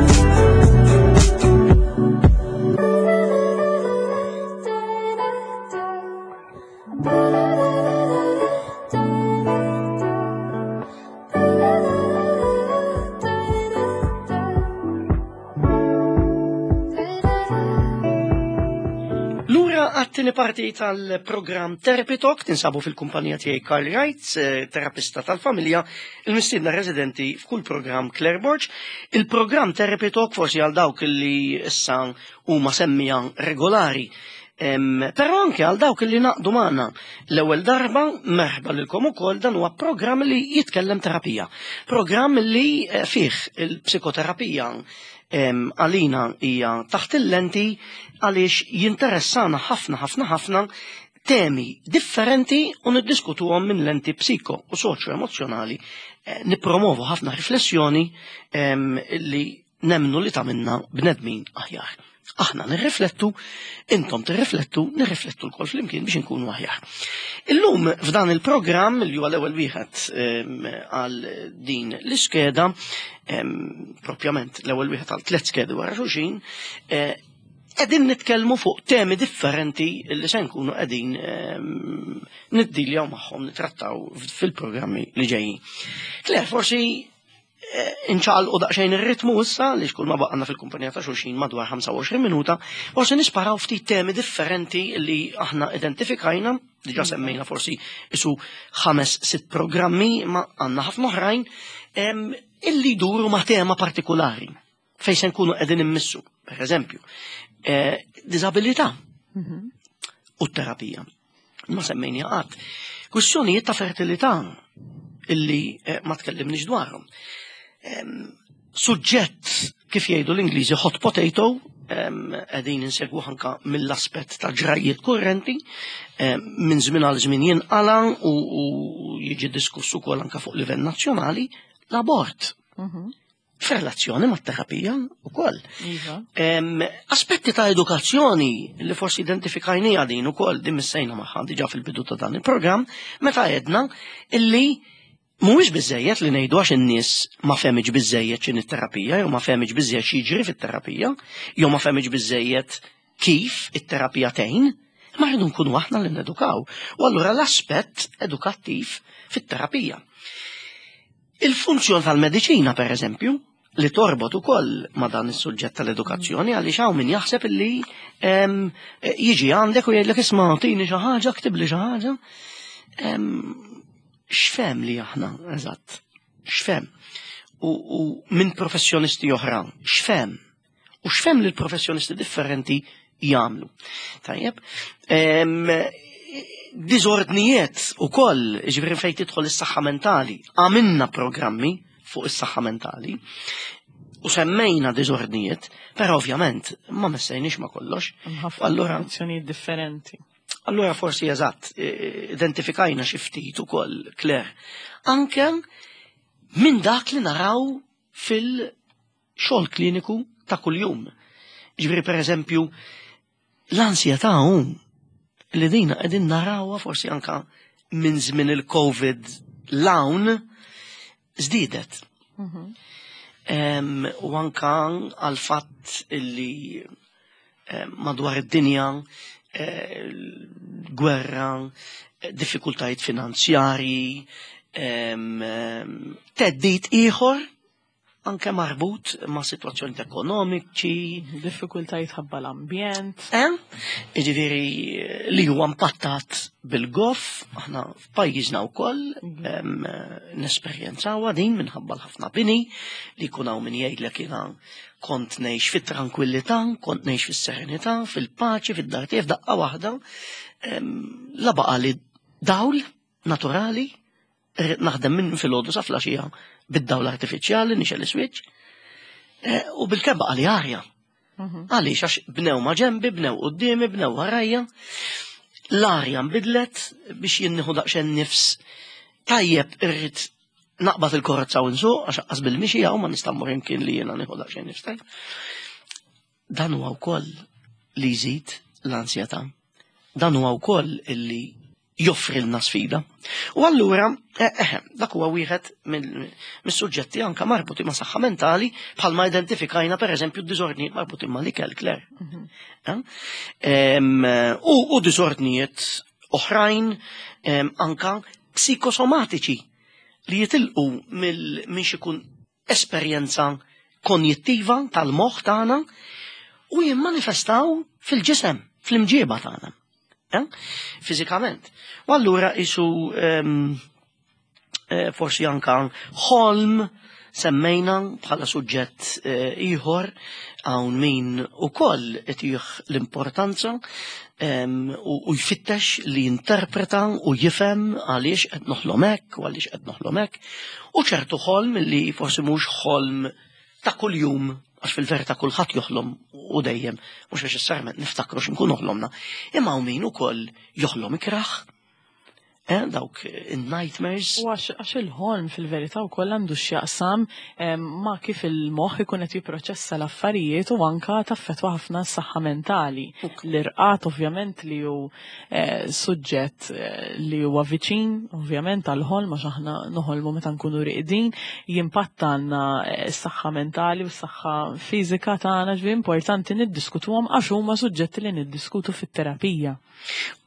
Lura għat-tieni parti tal-programm Therapy Talk tinsabu fil-kumpanija tiegħi Karl Wright, eh, terapista tal-familja, il-mistiedna residenti f'kull programm Claire Borg. Il-programm Therapy Talk forsi għal dawk li issa huma semmija regolari. Em, però anke għal dawk li naqdu magħna l-ewwel darba merħba lilkom ukoll, dan huwa programm li jitkellem terapija. Programm li eh, fih il-psikoterapija em, għalina hija taħt il-lenti għaliex jinteressana ħafna ħafna ħafna temi differenti u niddiskutuhom minn lenti psiko u soċjo-emozjonali. Eh, nippromovu ħafna riflessjoni em, li nemnu li tagħmilna bnedmin aħjar. Aħna nirriflettu, intom tirriflettu, nirriflettu lkoll flimkien biex inkunu aħjar. Illum f'dan il-programm li huwa l-ewwel wieħed em, għal din l-iskeda, em, propjament l-ewwel wieħed għal tliet skedi wara xulxin, eh, qegħdin nitkellmu fuq temi differenti li se nkunu qegħdin em, niddiljaw magħhom, nitrattaw fil-programmi li ġejjin. Claire, forsi inċaqalqu daqsxejn ir-ritmu issa li xkull ma baqgħna fil-kumpanija ta' xulxin madwar ħamsa u għoxrin minuta, forsi nisparaw ftit temi differenti li aħna identifikajna, diġà semmejna forsi isu ħames sitt programmi, ma għandna ħafna oħrajn, em, illi jduru ma' tema partikolari fejn se nkunu qegħdin immissu, per eżempju, eh, diżabilità u terapija. Ma semmejni qatt. Kwistjonijiet ta' fertilità illi eh, ma tkellimniex dwarhom. Em, Suġġett, kif jgħidu l-Ingliżi, hot potato, em, qegħdin insegwu anka mill-aspett ta' ġrajiet kurrenti, em, minn żmien għal żmien jinqala u, u jiġi diskuss ukoll anka fuq livell nazzjonali, l-abort. F'relazzjoni mat-terapija ukoll. Iva. Em, aspetti ta' edukazzjoni li forsi identifikajnija din ukoll, din missejna magħha diġà fil-bidu ta' dan il-programm, meta għedna illi mhuwiex biżejjed li ngħidu għax in-nies ma fehmitx biżejjed x'inhi t-terapija, jew ma fehmitx biżejjed x'jiġri fit-terapija, jew ma fehmitx biżejjed kif it-terapija tgħin, ma rridu nkunu aħna li nedukaw. U allura l-aspett edukattiv fit-terapija. Il-funzjon tal-mediċina, per eżempju, li torbot ukoll ma dan is-suġġett tal-edukazzjoni, għaliex hawn min jaħseb illi em, jiġi għandek u jgħidlek, "Isma', tini xi ħaġa, ktibli xi ħaġa." Em, X'fhem li aħna, eżatt, x'fhem? U, u minn professjonisti oħra, x'fhem? U x'fhem li l-professjonisti differenti jagħmlu? Tajjeb, em, diżordnijiet ukoll, ġifieri fejn tidħol is-saħħa mentali. Għamilna programmi fuq is-saħħa mentali u semmejna diżordnijiet, però ovvjament ma messejniex ma kollox. Ħafna Allura, azzjonijiet differenti. Allura forsi eżatt, eh, identifikajna xi ftit ukoll, Claire, anke minn dak li naraw fil-xogħol kliniku ta' kuljum. Ġifieri, per eżempju, l-ansjetà hu li dina qegħdin narawha forsi anka minn żmien il-Covid 'l hawn żdiedet. Em, u anka għal fatt illi em, madwar id-dinja eh, gwerra, eh, diffikultajiet finanzjarji, em, em, theddid ieħor anke marbut ma' situazzjoni ekonomiċi, Diffikultajiet ħabba l-ambjent. Eh? Ġifieri li huwa impattat bil-goff, aħna f'pajjiżna wkoll em, nesperjenzawha din minħabba l-ħafna bini li jkun hawn min jgħidlek, "Jiena kont ngħix fit-tranquillità, kont ngħix fis-serenità, fil-paċi, fid-dar tiegħi, f'daqqa waħda em, la baqa li dawl naturali, irrid naħdem minn filgħodu sa filgħaxija bid-dawl artifiċjali, nixgħel switch, eh, u bil-kemm baqa li arja." Għaliex għax bnew ma ġembi, bnew quddiemi, bnew warajja. L-arja nbidlet biex jien nieħu daqsxejn nifs tajjeb irrid naqbad il-karozza u nsuq għax anqas bil-mixi hawn ma nista' mmur imkien li jiena nieħu daqsxejn nifs tajjeb. Dan huwa wkoll li jżid l-ansjetà. Dan huwa wkoll illi joffrilna sfida. U allura, eh, eh, dak huwa wieħed mis-suġġetti anka marbuti ma' saħħa mentali bħalma identifikajna per eżempju d-diżordnijiet marbuti ma' l-ikel, Claire. Eh? U, u diżordnijiet oħrajn anka psikosomatiċi li jitilqu minn xikun esperjenza konjittiva tal-moħħ tagħna u jimmanifestaw fil-ġisem, fl-imġieba tagħna. Eh? Fiżikament. U allura isu um, eh, forsi anka ħolm semmejna bħala suġġett eh, ieħor hawn min ukoll itih l-importanza um, u, u jfittex li jinterpreta u jifhem għaliex qed noħlom hekk u għaliex qed noħlom hekk. U ċertu ħolm li forsi mhux ħolm ta' kuljum għax fil-verità kulħadd joħlom u dejjem, mhux neċessarjament niftakru x'inkunu ħlomna. Imma hawn min ukoll joħlom ikraħ, eh, dawk in-nightmares. U għax il-ħolm fil-verità wkoll għandu x'jaqsam ma' kif il-moħħ ikun qed jipproċessa l-affarijiet u anka taffettwa ħafna s-saħħa mentali. L-irqad ovvjament li hu eh, suġġett eh, li huwa viċin ovvjament għall-ħolm għax aħna noħolmu meta nkunu riqdin, jimpatta għandna eh, s-saħħa mentali u s-saħħa fiżika tagħna ġifieri importanti niddiskutuhom għax huma suġġetti li niddiskutu fit-terapija.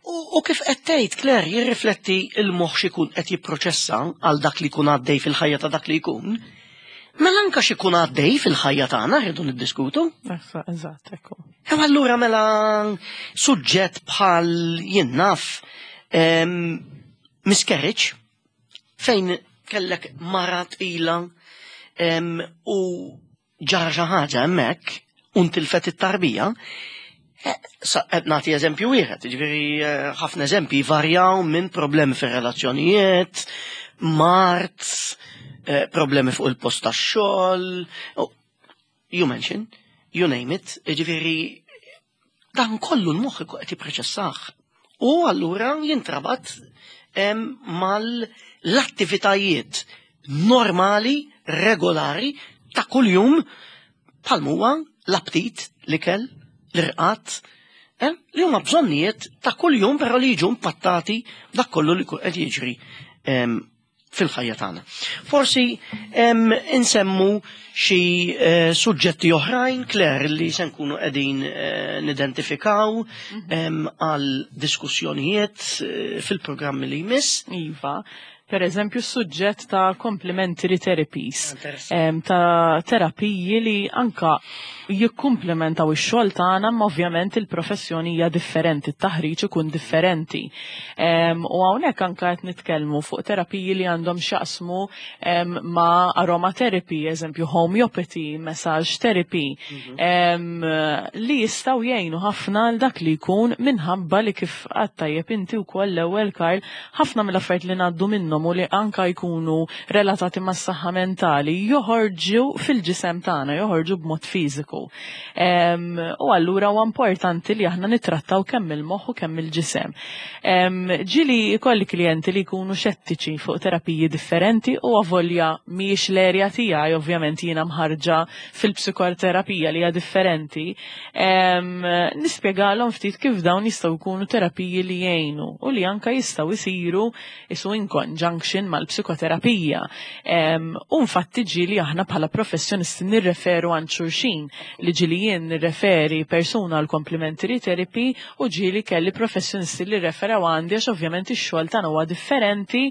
U, u kif qed tgħid Claire jirrifletti il-moħħ x'ikun qed jipproċessa għal dak li jkun għaddej fil-ħajja ta' dak li jkun. Mela anka x'ikun għaddej fil-ħajja tagħna rridu niddiskutu. Eżatt, ekku. Hemm allura mela suġġett bħal jien naf miscarriage fejn kellek mara tqila u ġara xi ħaġa hemmhekk u ntilfet it-tarbija. Qed nagħti eżempju wieħed, jiġifieri ħafna eżempji varjaw minn problemi fir-relazzjonijiet, mard, problemi fuq il-post tax-xogħol, you mention, you name it, jiġifieri dan kollu l-moħħ qed jipproċessah. U allura jintrabat mal-attivitajiet normali, regolari ta' kuljum bħal huwa l-aptit, l-ikel, l-irqad, eh, li huma bżonnijiet ta' kuljum però li jiġu impattati dak kollu li qed jiġri fil-ħajja tagħna. Forsi insemmu xi eh, suġġetti oħrajn, Claire, li se nkunu qegħdin eh, nidentifikaw għal diskussjonijiet fil-programmi li jmiss. Iva, per eżempju, suġġett ta' complementary therapies, ta' terapiji li anka jikkumplementaw ix-xogħol tagħna, ma ovvjament il-professjoni hija differenti, it-taħriġ ikun differenti. U hawnhekk anka qed nitkellmu fuq terapiji li għandhom x'jaqsmu ma' aromatherapy, eżempju homeopathy, massage therapy, mhm. li jistgħu jgħinu ħafna għal dak li jkun minħabba li kif għedt tajjeb inti wkoll l-ewwel Karl, ħafna mill-affarijiet li ngħaddu minnhom u li anka jkunu relatati mas-saħħa mentali joħorġu fil-ġisem tagħna, joħorġu b'mod fiżiku. U allura huwa importanti li aħna nittrattaw kemm il-moħħ u kemm il-ġisem. Ġieli jkolli klijenti li jkunu xettiċi fuq terapiji differenti u avolja mhijiex l-erja tiegħi, ovvjament jiena mħarġa fil-psikoterapija li hija differenti, nispjegalhom ftit kif dawn jistgħu jkunu terapiji li jgħinu u li anka jistgħu jsiru isu in conjunction mal-psikoterapija. U infatti ġieli aħna bħala professjonisti nirreferu għand xulxin li ġieli jien nirreferi persuna għal complementary therapy u ġieli kelli professjonisti li referaw għandi għax ovvjament ix-xogħol tagħna huwa differenti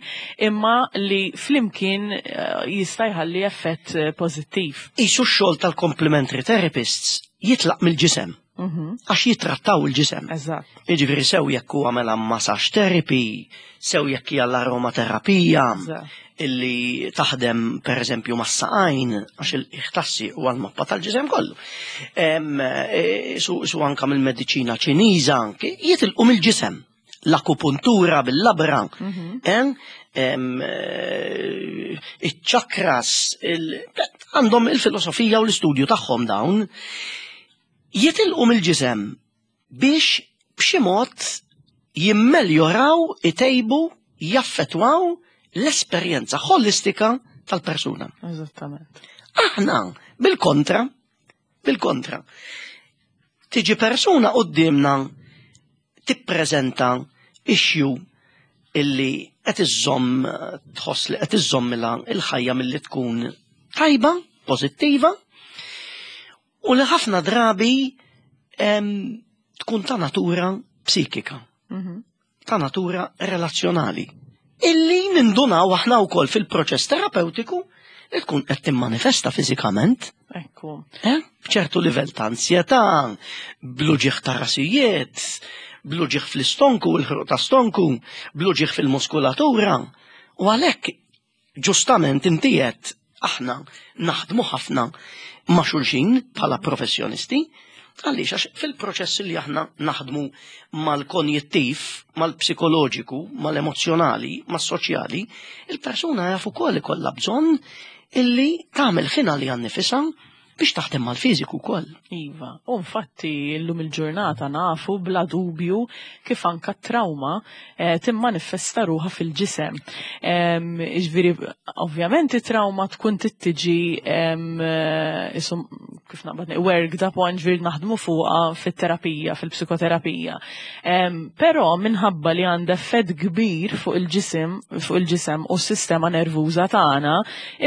imma li flimkien eh, jista' jħalli effett eh, pożittiv. Isu x-xogħol tal-complementary therapists jitlaq mill-ġisem. Mhm. Għax jitrattaw il-ġisem. Eżatt. Jiġifieri sew jekk huwa mela massage therapy, sew jekk hija l-aromaterapija, Eżatt. illi taħdem per eżempju mas-saqajn, għax il-ħtassi huwa l-mappa tal-ġisem kollu. Em, e, Su, su anka mill-mediċina Ċiniża, anke jitilqu mill-ġisem. L-akupuntura bil-labra, em, em, eh, iċ-chakras, il- għandhom il-filosofija u l-istudju tagħhom dawn. Jitilqu mill-ġisem biex b'xi mod jimmeljoraw, itejbu, jaffetwaw l-esperjenza ħolistika tal-persuna. Eżattament. Aħna, bil-kontra, bil-kontra, tiġi persuna qudiemna tippreżenta issue illi qed iżżomm, tħoss li qed iżżommilha il-ħajja milli tkun tajba, pożittiva, u li ħafna drabi em, tkun ta' natura psikika, Mhm. ta' natura relazzjonali. Illi nindunaw aħna wkoll fil-proċess terapeutiku li tkun qed timmanifesta fiżikament. Ekku. Eh? B'ċertu livell ta' ansjetà, bl-uġigħ ta' rasijiet, bl-uġigħ fl-istonku, il-ħruq ta' stonku, bl-uġigħ fil-muskulatura. U għalhekk ġustament inti qed aħna naħdmu ħafna ma' xulxin bħala professjonisti, għaliex għax fil-proċess li aħna naħdmu mal-konjittiv, mal-psikoloġiku, mal-emozjonali, mas-soċjali, il-persuna jaf ukoll ikollha bżonn illi tagħmel ħin għaliha nnifisha biex taħdem mal-fiżiku wkoll. Iva, u infatti llum il-ġurnata nafu bla dubju kif anka trauma eh, timmanifesta ruħha fil-ġisem. Em, Ġifieri, ovvjament it-trauma tkun tittiġi em, eh, isum, kif naqbad worked upon, ġifieri naħdmu fuqha fit-terapija, fil-psikoterapija. Em, Però minħabba li għandha effett kbir fuq il-ġisem, fuq il-ġisem u s-sistema nervuża tagħna,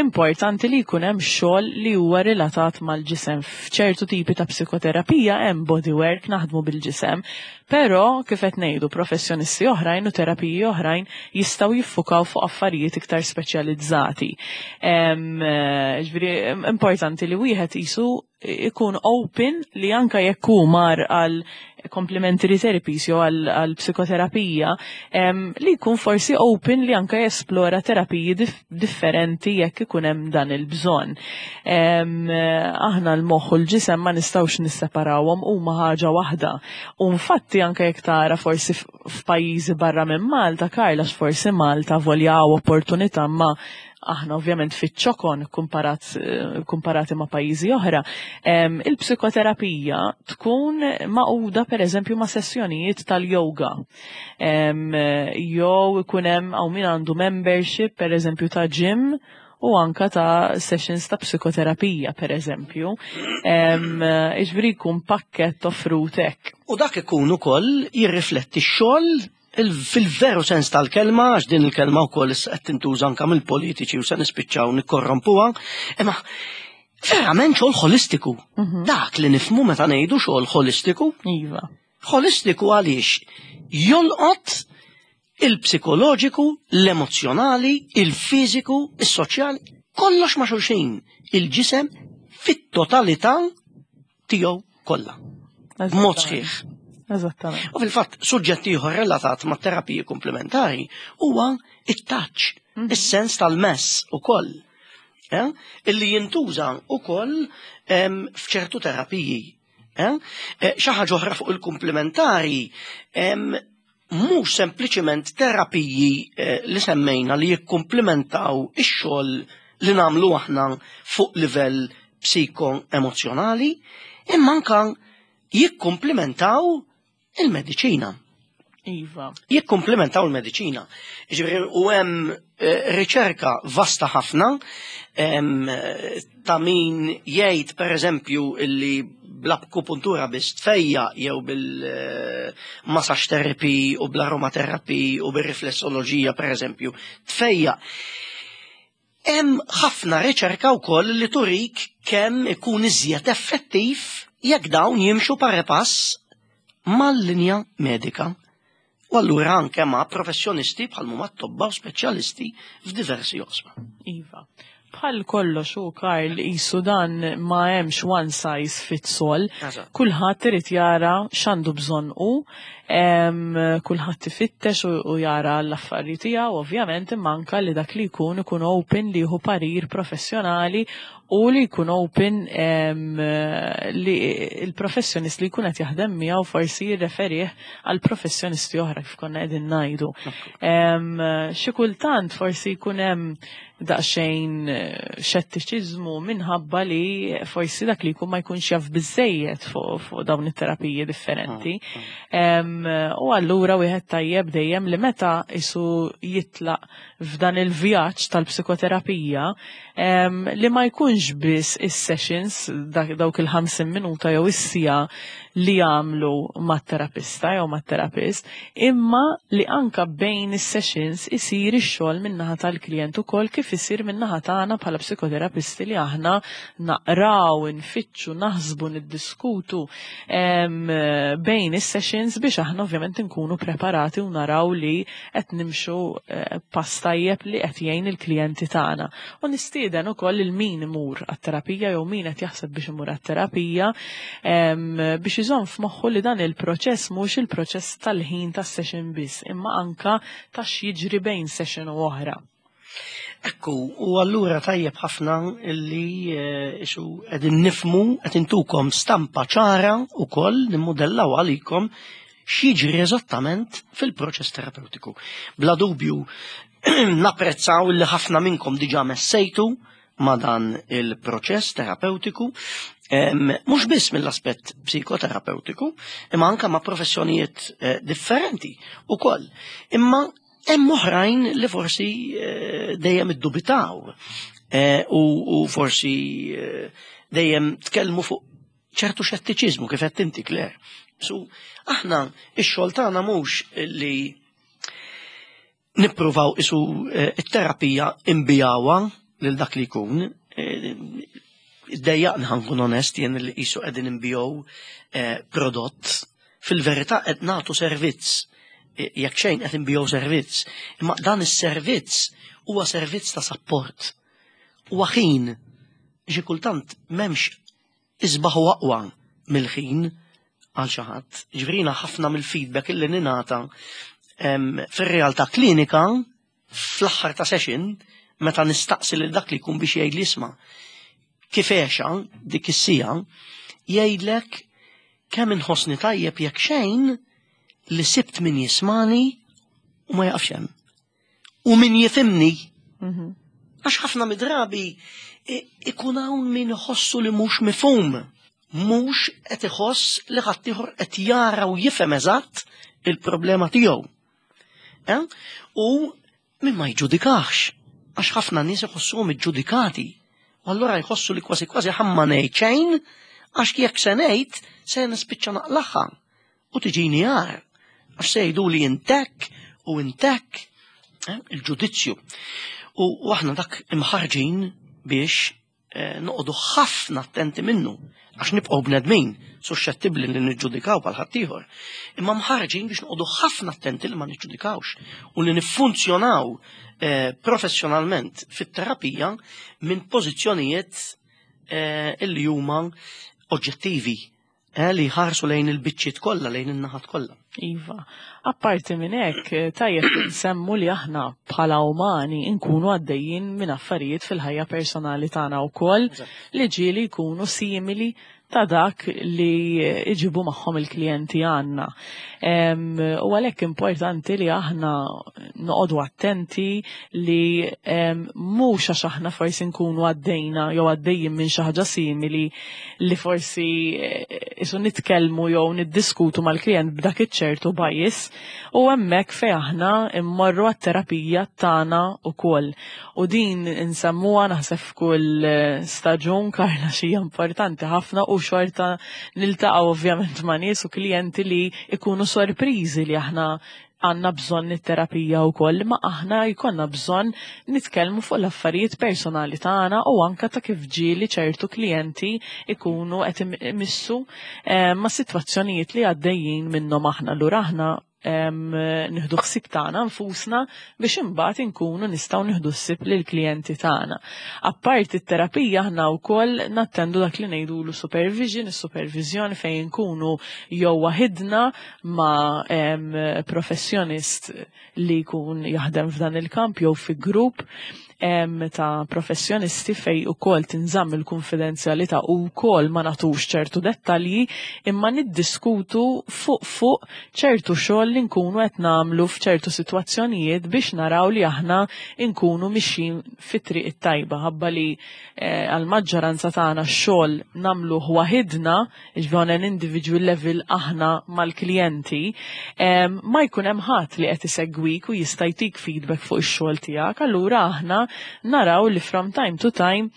importanti li jkun hemm xogħol li huwa relatat mal-ġisem. F'ċertu tipi ta' psikoterapija hemm bodywork, naħdmu bil-ġisem, però kif qed ngħidu, professjonisti oħrajn u terapiji oħrajn jistgħu jiffukaw fuq affarijiet iktar speċjalizzati. Em, eh, Ġifieri importanti li wieħed isu ikun open li anka jekk hu mar għal complementary therapies jew għal, għal psikoterapija, em, li jkun forsi open li anka jesplora terapiji dif differenti jekk ikun hemm dan il-bżonn. Em, Aħna l-moħħ u l-ġisem ma nistgħux nisseparawhom, huma ħaġa waħda. U infatti anka jekk tara forsi f- f'pajjiżi barra minn Malta, Karla, forsi Malta voljaw opportunità, ma aħna ovvjament fiċ-ċokon kumparat, eh, kumparati ma' pajjiżi oħra, em, il-psikoterapija tkun magħquda per eżempju ma' sessjonijiet tal-yoga. Em, Jew ikun hemm hawn min għandu membership per eżempju ta' gym u anka ta' sessions ta' psikoterapija per eżempju. Ġifieri jkun pakket offrut hekk. U dak ikun ukoll jirrifletti x-xogħol il- fil-veru sens tal-kelma, għax din il-kelma wkoll issa qed tintuża anke mill-politiċi u se nispiċċaw nikkorrompuha, imma verament xogħol ħolistiku. Dak li nifhmu meta ngħidu xogħol ħolistiku. Iva. Ħolistiku għaliex jolqot il-psikoloġiku, l-emozjonali, il-fiżiku, is-soċjali, kollox ma' xulxin, il-ġisem fit-totalità tiegħu kollha. B'mod sħiħ. Eżattament. U fil-fatt, suġġett ieħor relatat ma' terapiji komplementari huwa it-touch, is-sens tal-mess ukoll. Eh? Illi jintuża ukoll em, f'ċertu terapiji. Eh? Eh, Xi ħaġa oħra fuq il-komplementari, em, mhux sempliċiment terapiji eh, li semmejna li jikkumplementaw ix-xogħol li nagħmlu aħna fuq livell psiko-emozjonali, imma anka jikkumplementaw il-mediċina. Iva. Jikkumplementaw il-mediċina. Ġifieri, u hemm eh, riċerka vasta ħafna em, eh, ta' min jgħid per eżempju illi bl-akupuntura biss tfejjaq, jew bil-massage therapy u bl-aromatherapy u bil-riflessoloġija per eżempju tfejjaq. Hemm ħafna riċerka wkoll li turik kemm ikun iżjed effettiv jekk dawn jimxu pari pass mal-linja medika. U allura anke ma' professjonisti bħal huma tobba u speċjalisti f'diversi oqsma. Iva. Bħal kollox u Karl, jisu dan ma hemmx one size fits all. Eżatt. Kulħadd irid jara x'għandu bżonn u Kulħadd ifittex u jara l-affarijiet tiegħu, ovvjament, imma anka li dak li jkun ikun open li jieħu parir professjonali u li jkun open li il-professjonist li jkun qed jaħdem miegħu forsi jirreferih għal professjonisti oħra, kif konna qegħdin ngħidu. Xi kultant forsi jkun hemm daqsxejn eh, xettiċiżmu minħabba li forsi dak li jkun ma jkunx jaf biżejjed fuq dawn it-terapiji differenti. Ah, ah. U allura wieħed tajjeb dejjem li meta isu jitlaq f'dan il-vjaġġ tal-psikoterapija li ma jkunx biss is-sessions, dawk il-ħamsin minuta jew is-siegħa li jagħmlu mat-terapista jew mat-terapist, imma li anka bejn is-sessions isir ix-xogħol min-naħa tal-klijent ukoll, kif isir min-naħa tagħna bħala psikoterapisti, li aħna naqraw, nfittxu, naħsbu, niddiskutu bejn is-sessions biex aħna ovvjament nkunu preparati u naraw li qed nimxu eh, pass tajjeb li qed jgħin il-klijenti tagħna. U nistieden ukoll il min imur għat-terapija jew min qed jaħseb biex imur għat-terapija biex iżomm f'moħħu li dan il-proċess mhux il-proċess tal-ħin tas-session biss, imma anka ta' x'jiġri bejn session u oħra. Ekku, u allura tajjeb ħafna illi eh, isu qegħdin nifhmu, qed intukom stampa ċara u koll nimmodellaw għalikom x'jiġri eżattament fil-proċess terapeutiku. Bla dubju napprezzaw li ħafna minnkom diġà messejtu ma' dan il-proċess terapeutiku, mhux biss mill-aspett psikoterapeutiku, imma anka ma' professjonijiet eh, differenti ukoll. Imma hemm oħrajn li forsi eh, dejjem iddubitaw eh, u forsi dejjem tkellmu fuq ċertu xettiċiżmu, kif qed inti, Claire. So, aħna ix-xogħol tagħna mhux li nippruvaw isu it-terapija inbigħuha lil dak li jkun. Iddejjaqni, ħa nkun onest jien, li qisu qegħdin inbigħu prodott. Fil-verità qed nagħtu servizz, jekk xejn qed inbigħu servizz. Imma dan is-servizz huwa servizz ta' support. Huwa ħin. Xi kultant m'hemmx isbaħ u aqwa mill-ħin għal xi ħadd. Ġifieri ħafna mill-feedback illi ningħata fir-realtà klinika fl-aħħar ta' session, meta nistaqsi lil dak li jkun biex jgħid li isma' kif għexha dik is-siegħa, jgħidlek kemm inħossni tajjeb, jekk xejn li sibt min jismani u ma jaqafx hemm. U min jifhimni. Mhm. Għax ħafna midrabi ikun hawn min iħossu li mhux mifhum. Mhux qed iħoss li ħaddieħor qed jara u jifhem eżatt il-problema tiegħu. Eh? U min ma jġudikax, għax ħafna nies iħossuhom iġġudikati. U allura jħossu li kważi kważi ħa ma ngħid xejn, għax jekk se ngħid se nispiċċa naqlagħha u tiġini għar. Għax se jgħidu li intek u intek eh, il-ġudizzju. U aħna dak imħarġin biex eh, noqogħdu ħafna attenti minnu, għax nibqgħu bnedmin suscettibbli li niġġudikaw bħal ħaddieħor. Imma mħarġin biex noqogħdu ħafna attenti li ma niġġudikawx u li niffunzjonaw eh, professjonalment fit-terapija minn pożizzjonijiet eh, illi huma oġġettivi, eh, li jħarsu lejn il-biċċiet kollha, lejn in-naħat kollha. Iva. Apparti minn hekk, tajjeb nsemmu li aħna bħala umani nkunu għaddejjin minn affarijiet fil-ħajja personali tagħna wkoll li ġieli jkunu simili ta' dak li iġibu magħhom il-klijenti għandna. U għalhekk importanti li aħna noqogħdu attenti li mhux għax aħna forsi nkunu għaddejna jew għaddejjin minn xi ħaġa simili li forsi eh, isu nitkellmu jew niddiskutu mal-klient b'dak iċ-ċertu bias, u hemmhekk fejn aħna immorru għat-terapija tagħna ukoll. U din insemmuha naħseb f'kull eh, staġun, Karla, xi importanti ħafna, u xorta niltaqgħu ovvjament ma' nies u klijenti li ikunu sorpriżi li aħna għandna bżonn it-terapija wkoll, ma aħna jkollna bżonn nitkellmu fuq l-affarijiet personali tagħna u anka ta' kif ġieli ċertu klijenti ikunu qed imissu eh, ma' sitwazzjonijiet li għaddejjin minnhom aħna. Allura aħna nieħdu ħsieb tagħna nfusna biex imbagħad inkunu nistgħu nieħdu ħsieb lill-klijenti tagħna. Apparti t-terapija, aħna wkoll nattendu dak li ngħidulu supervision, is-supervizjoni fejn nkunu jew waħidna ma' professjonist li jkun jaħdem f'dan il-kamp jew fi grupp ta' professjonisti fejn ukoll tinżamm il-konfidenzjalità u wkoll ma nagħtux ċertu dettalji, imma niddiskutu fuq fuq ċertu xogħol li nkunu qed nagħmlu f'ċertu sitwazzjonijiet biex naraw li aħna nkunu mixjin fit-triq it-tajba, ħabba li eh, għal-maġġoranza tagħna x-xogħol nagħmluh waħidna, jiġifieri on an individual level aħna mal-klijenti, ma jkun hemm ħadd li qed isegwik u jista' jtik feedback fuq ix-xogħol tiegħek, allura aħna naraw li from time to time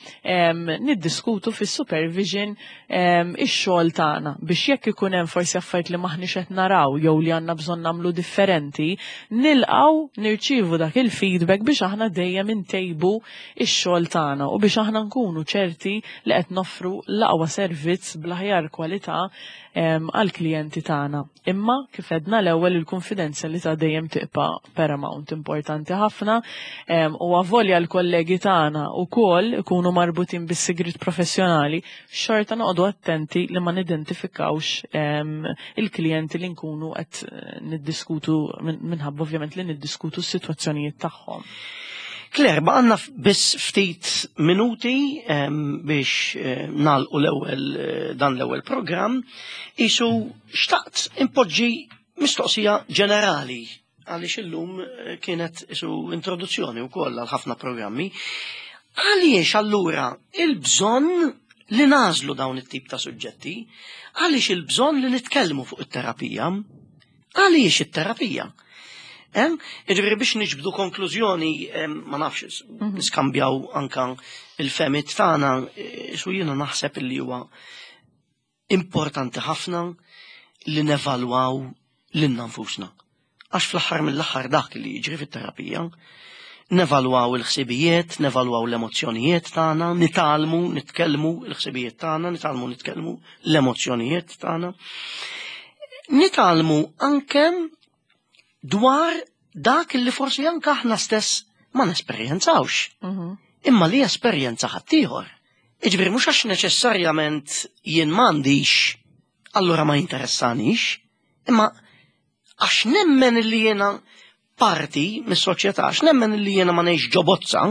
niddiskutu fis-supervision ix-xogħol tagħna biex jekk ikun hemm forsi affarijiet li maħniex qed naraw jew li għandna bżonn nagħmlu differenti, nilqgħu nirċievu dak il-feedback biex aħna dejjem intejbu ix-xogħol tagħna u biex aħna nkunu ċerti li qed noffru l-aqwa servizz bl-aħjar kwalità għal-klijenti tagħna. Imma kif għedna l-ewwel, il-konfidenzjalità dejjem tibqa' paramount, importanti ħafna, u avolja l-kollegi tagħna wkoll ikunu marbutin bis-sigrit professjonali, xorta noqogħdu attenti li ma nidentifikawx il-klijenti li nkunu qed niddiskutu, minħabba ovvjament li niddiskutu s-sitwazzjonijiet tagħhom. Claire, għandna biss ftit minuti biex nagħlqu l-ewwel dan l-ewwel programm, isu xtaqt impoġġi mistoqsija ġenerali għaliex illum kienet isu introduzzjoni wkoll għal ħafna programmi. Għaliex allura il-bżonn li nagħżlu dawn it-tip ta' suġġetti? Għaliex il-bżonn li nitkellmu fuq it-terapija? Għaliex it-terapija? Jiġifieri biex niġbdu konklużjoni, ma nafx, mhm. niskambjaw anka il-fehmiet tagħna, su jiena naħseb li huwa importanti ħafna li nevalwaw lilna nfusna. Għax fl-aħħar mill-aħħar dak li jiġri fit-terapija, nevalwaw il-ħsibijiet, nevalwaw l-emozzjonijiet tagħna, nitgħallmu nitkellmu l-ħsibijiet tagħna, nitgħallmu nitkellmu l-emozzjonijiet tagħna. Nitgħallmu anke dwar dak li forsi anke aħna stess ma nesperjenzawx. Mhm. Imma li esperjenza ħaddieħor. Jiġifieri mhux għax neċessarjament jien m'għandix, allura ma jinteressanix, imma għax nemmen li jiena parti mis-soċjetà, għax nemmen li jiena ma ngħix ġo bozza,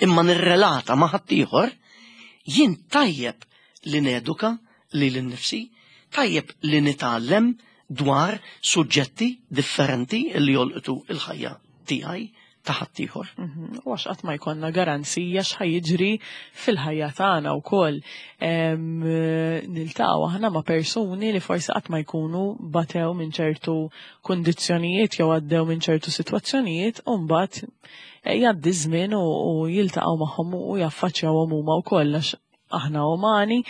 imma nirrelata ma' ħaddieħor, jien tajjeb li neduka lili nnifsi, tajjeb li nitgħallem dwar suġġetti differenti li jolqtu il-ħajja tiegħi, ta' ħaddieħor. Mhm. U għax qatt ma jkollna garanzija x'ħa jiġri fil-ħajja tagħna wkoll. Niltaqgħu aħna ma' persuni li forsi qatt ma jkunu batew minn ċertu kundizzjonijiet jew għaddew minn ċertu sitwazzjonijiet u mbagħad eh, jgħaddi żmien u jiltaqgħu magħhom u jaffaċċjawhom huma wkoll, għax aħna umani,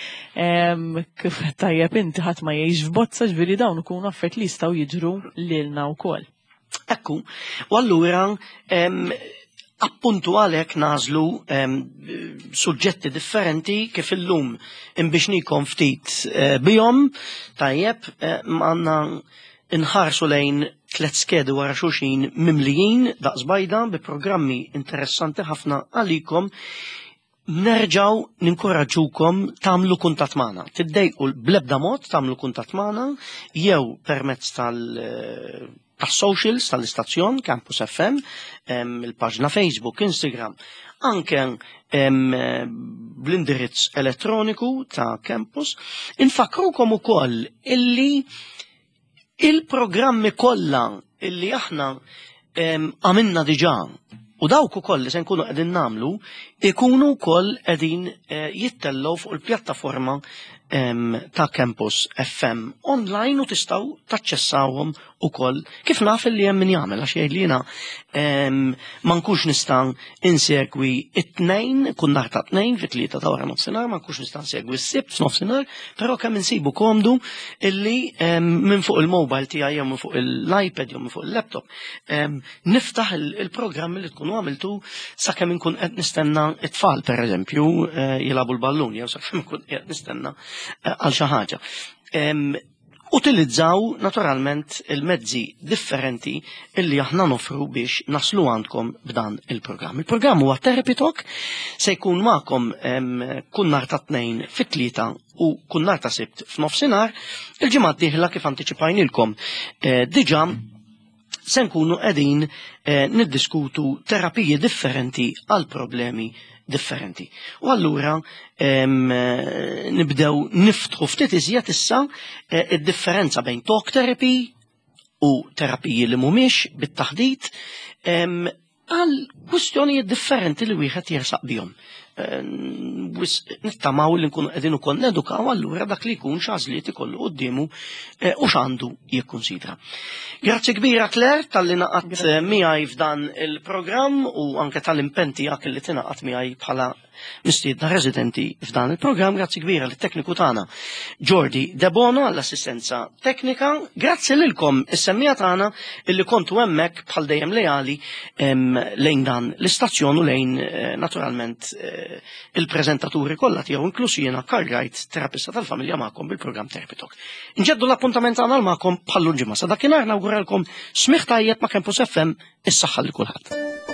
kif tajjeb inti, ħadd ma jgħix f'bozza, ġifieri dawn ikunu affarijiet li jistgħu jiġru lilna wkoll. Ekku, u allura appuntu għalhekk nagħżlu suġġetti differenti kif illum inbixnikom ftit eh, bihom, tajjeb, eh, għandna nħarsu lejn tlet skedi wara xulxin mimlijin daqs bajda bi programmi interessanti ħafna għalikom. Nerġaw ninkoraġġukom tagħmlu kuntatt magħna. Tiddejqu bl-ebda mod tagħmlu kuntatt magħna jew permezz tal tas-socials tal-istazzjon Campus F M, il-paġna Facebook, Instagram, anke bl-indirizz elettroniku ta' Campus. Infakrukom ukoll illi il-programmi kollha illi aħna għamilna diġà u dawk ukoll li se nkunu qegħdin nagħmlu ikunu wkoll qegħdin eh, jittellgħu fuq il-pjattaforma ta' Campus F M online u tistgħu taċċessawhom ukoll, kif naf li hemm min jagħmel, għax jgħid li jiena ma nkunx nista' insegwi it-Tnejn, kull nhar ta' Tnejn fit-tlieta ta' wara nofsinhar, ma nkunx nista' insegwi s-Sibt f'nofsinhar, però kemm insibu komdu illi minn fuq il-mobile tiegħi jew minn fuq l-iPad jew minn fuq il-laptop niftaħ il-programm li tkunu għamiltu sakemm inkun qed nistenna it-tfal, pereżempju, eh, jilagħbu l-ballun jew sakemm inkun qed nistenna eh, għal xi ħaġa. Utilizzaw naturalment il-mezzi differenti illi aħna nofru biex naslu għandkom b'dan il-programm. Il-programm huwa Therapy Talk, se jkun magħkom kull nhar ta' tnejn fit-tlieta u kull nhar ta' sibt f'nofsinhar. Il-ġimgħa d-dieħla kif antiċipajnilkom eh, diġà se nkunu qegħdin eh, niddiskutu terapiji differenti għal problemi differenti. U allura eh, nibdew niftħu ftit iżjed issa eh, id-differenza bejn talk therapy u terapiji li mhumiex bit-taħdit għal kwistjonijiet differenti li wieħed jersaq bihom. Nittamaw li nkunu qegħdin ukoll nedukaw allura dak li jkun x'għażliet ikollu quddiemu eh, u x'għandu jikkunsidra. Grazzi kbira Claire talli ngħaqadt eh, miegħi f'dan il-programm u anke tal-impenn tiegħek li tingħaqad miegħi bħala mistiedna residenti f'dan il-programm. Grazzi kbira lit-tekniku tagħna Jordi Debono għall-assistenza teknika. Grazzi lilkom is-semmiegħa tagħna illi kontu hemmhekk bħal dejjem leali lejn dan l-istazzjon u lejn eh, naturalment eh, il-preżentaturi kollha tiegħu inkluż jiena Karl Wright, terapista tal-familja magħkom bil-programm Therapy Talk. Inġeddu l-appuntament tagħna magħkom bħal ġimgħa. Sa dakinhar nawguralkom smigħ tajjeb ma' Campus FM is-saħħa li kulħadd.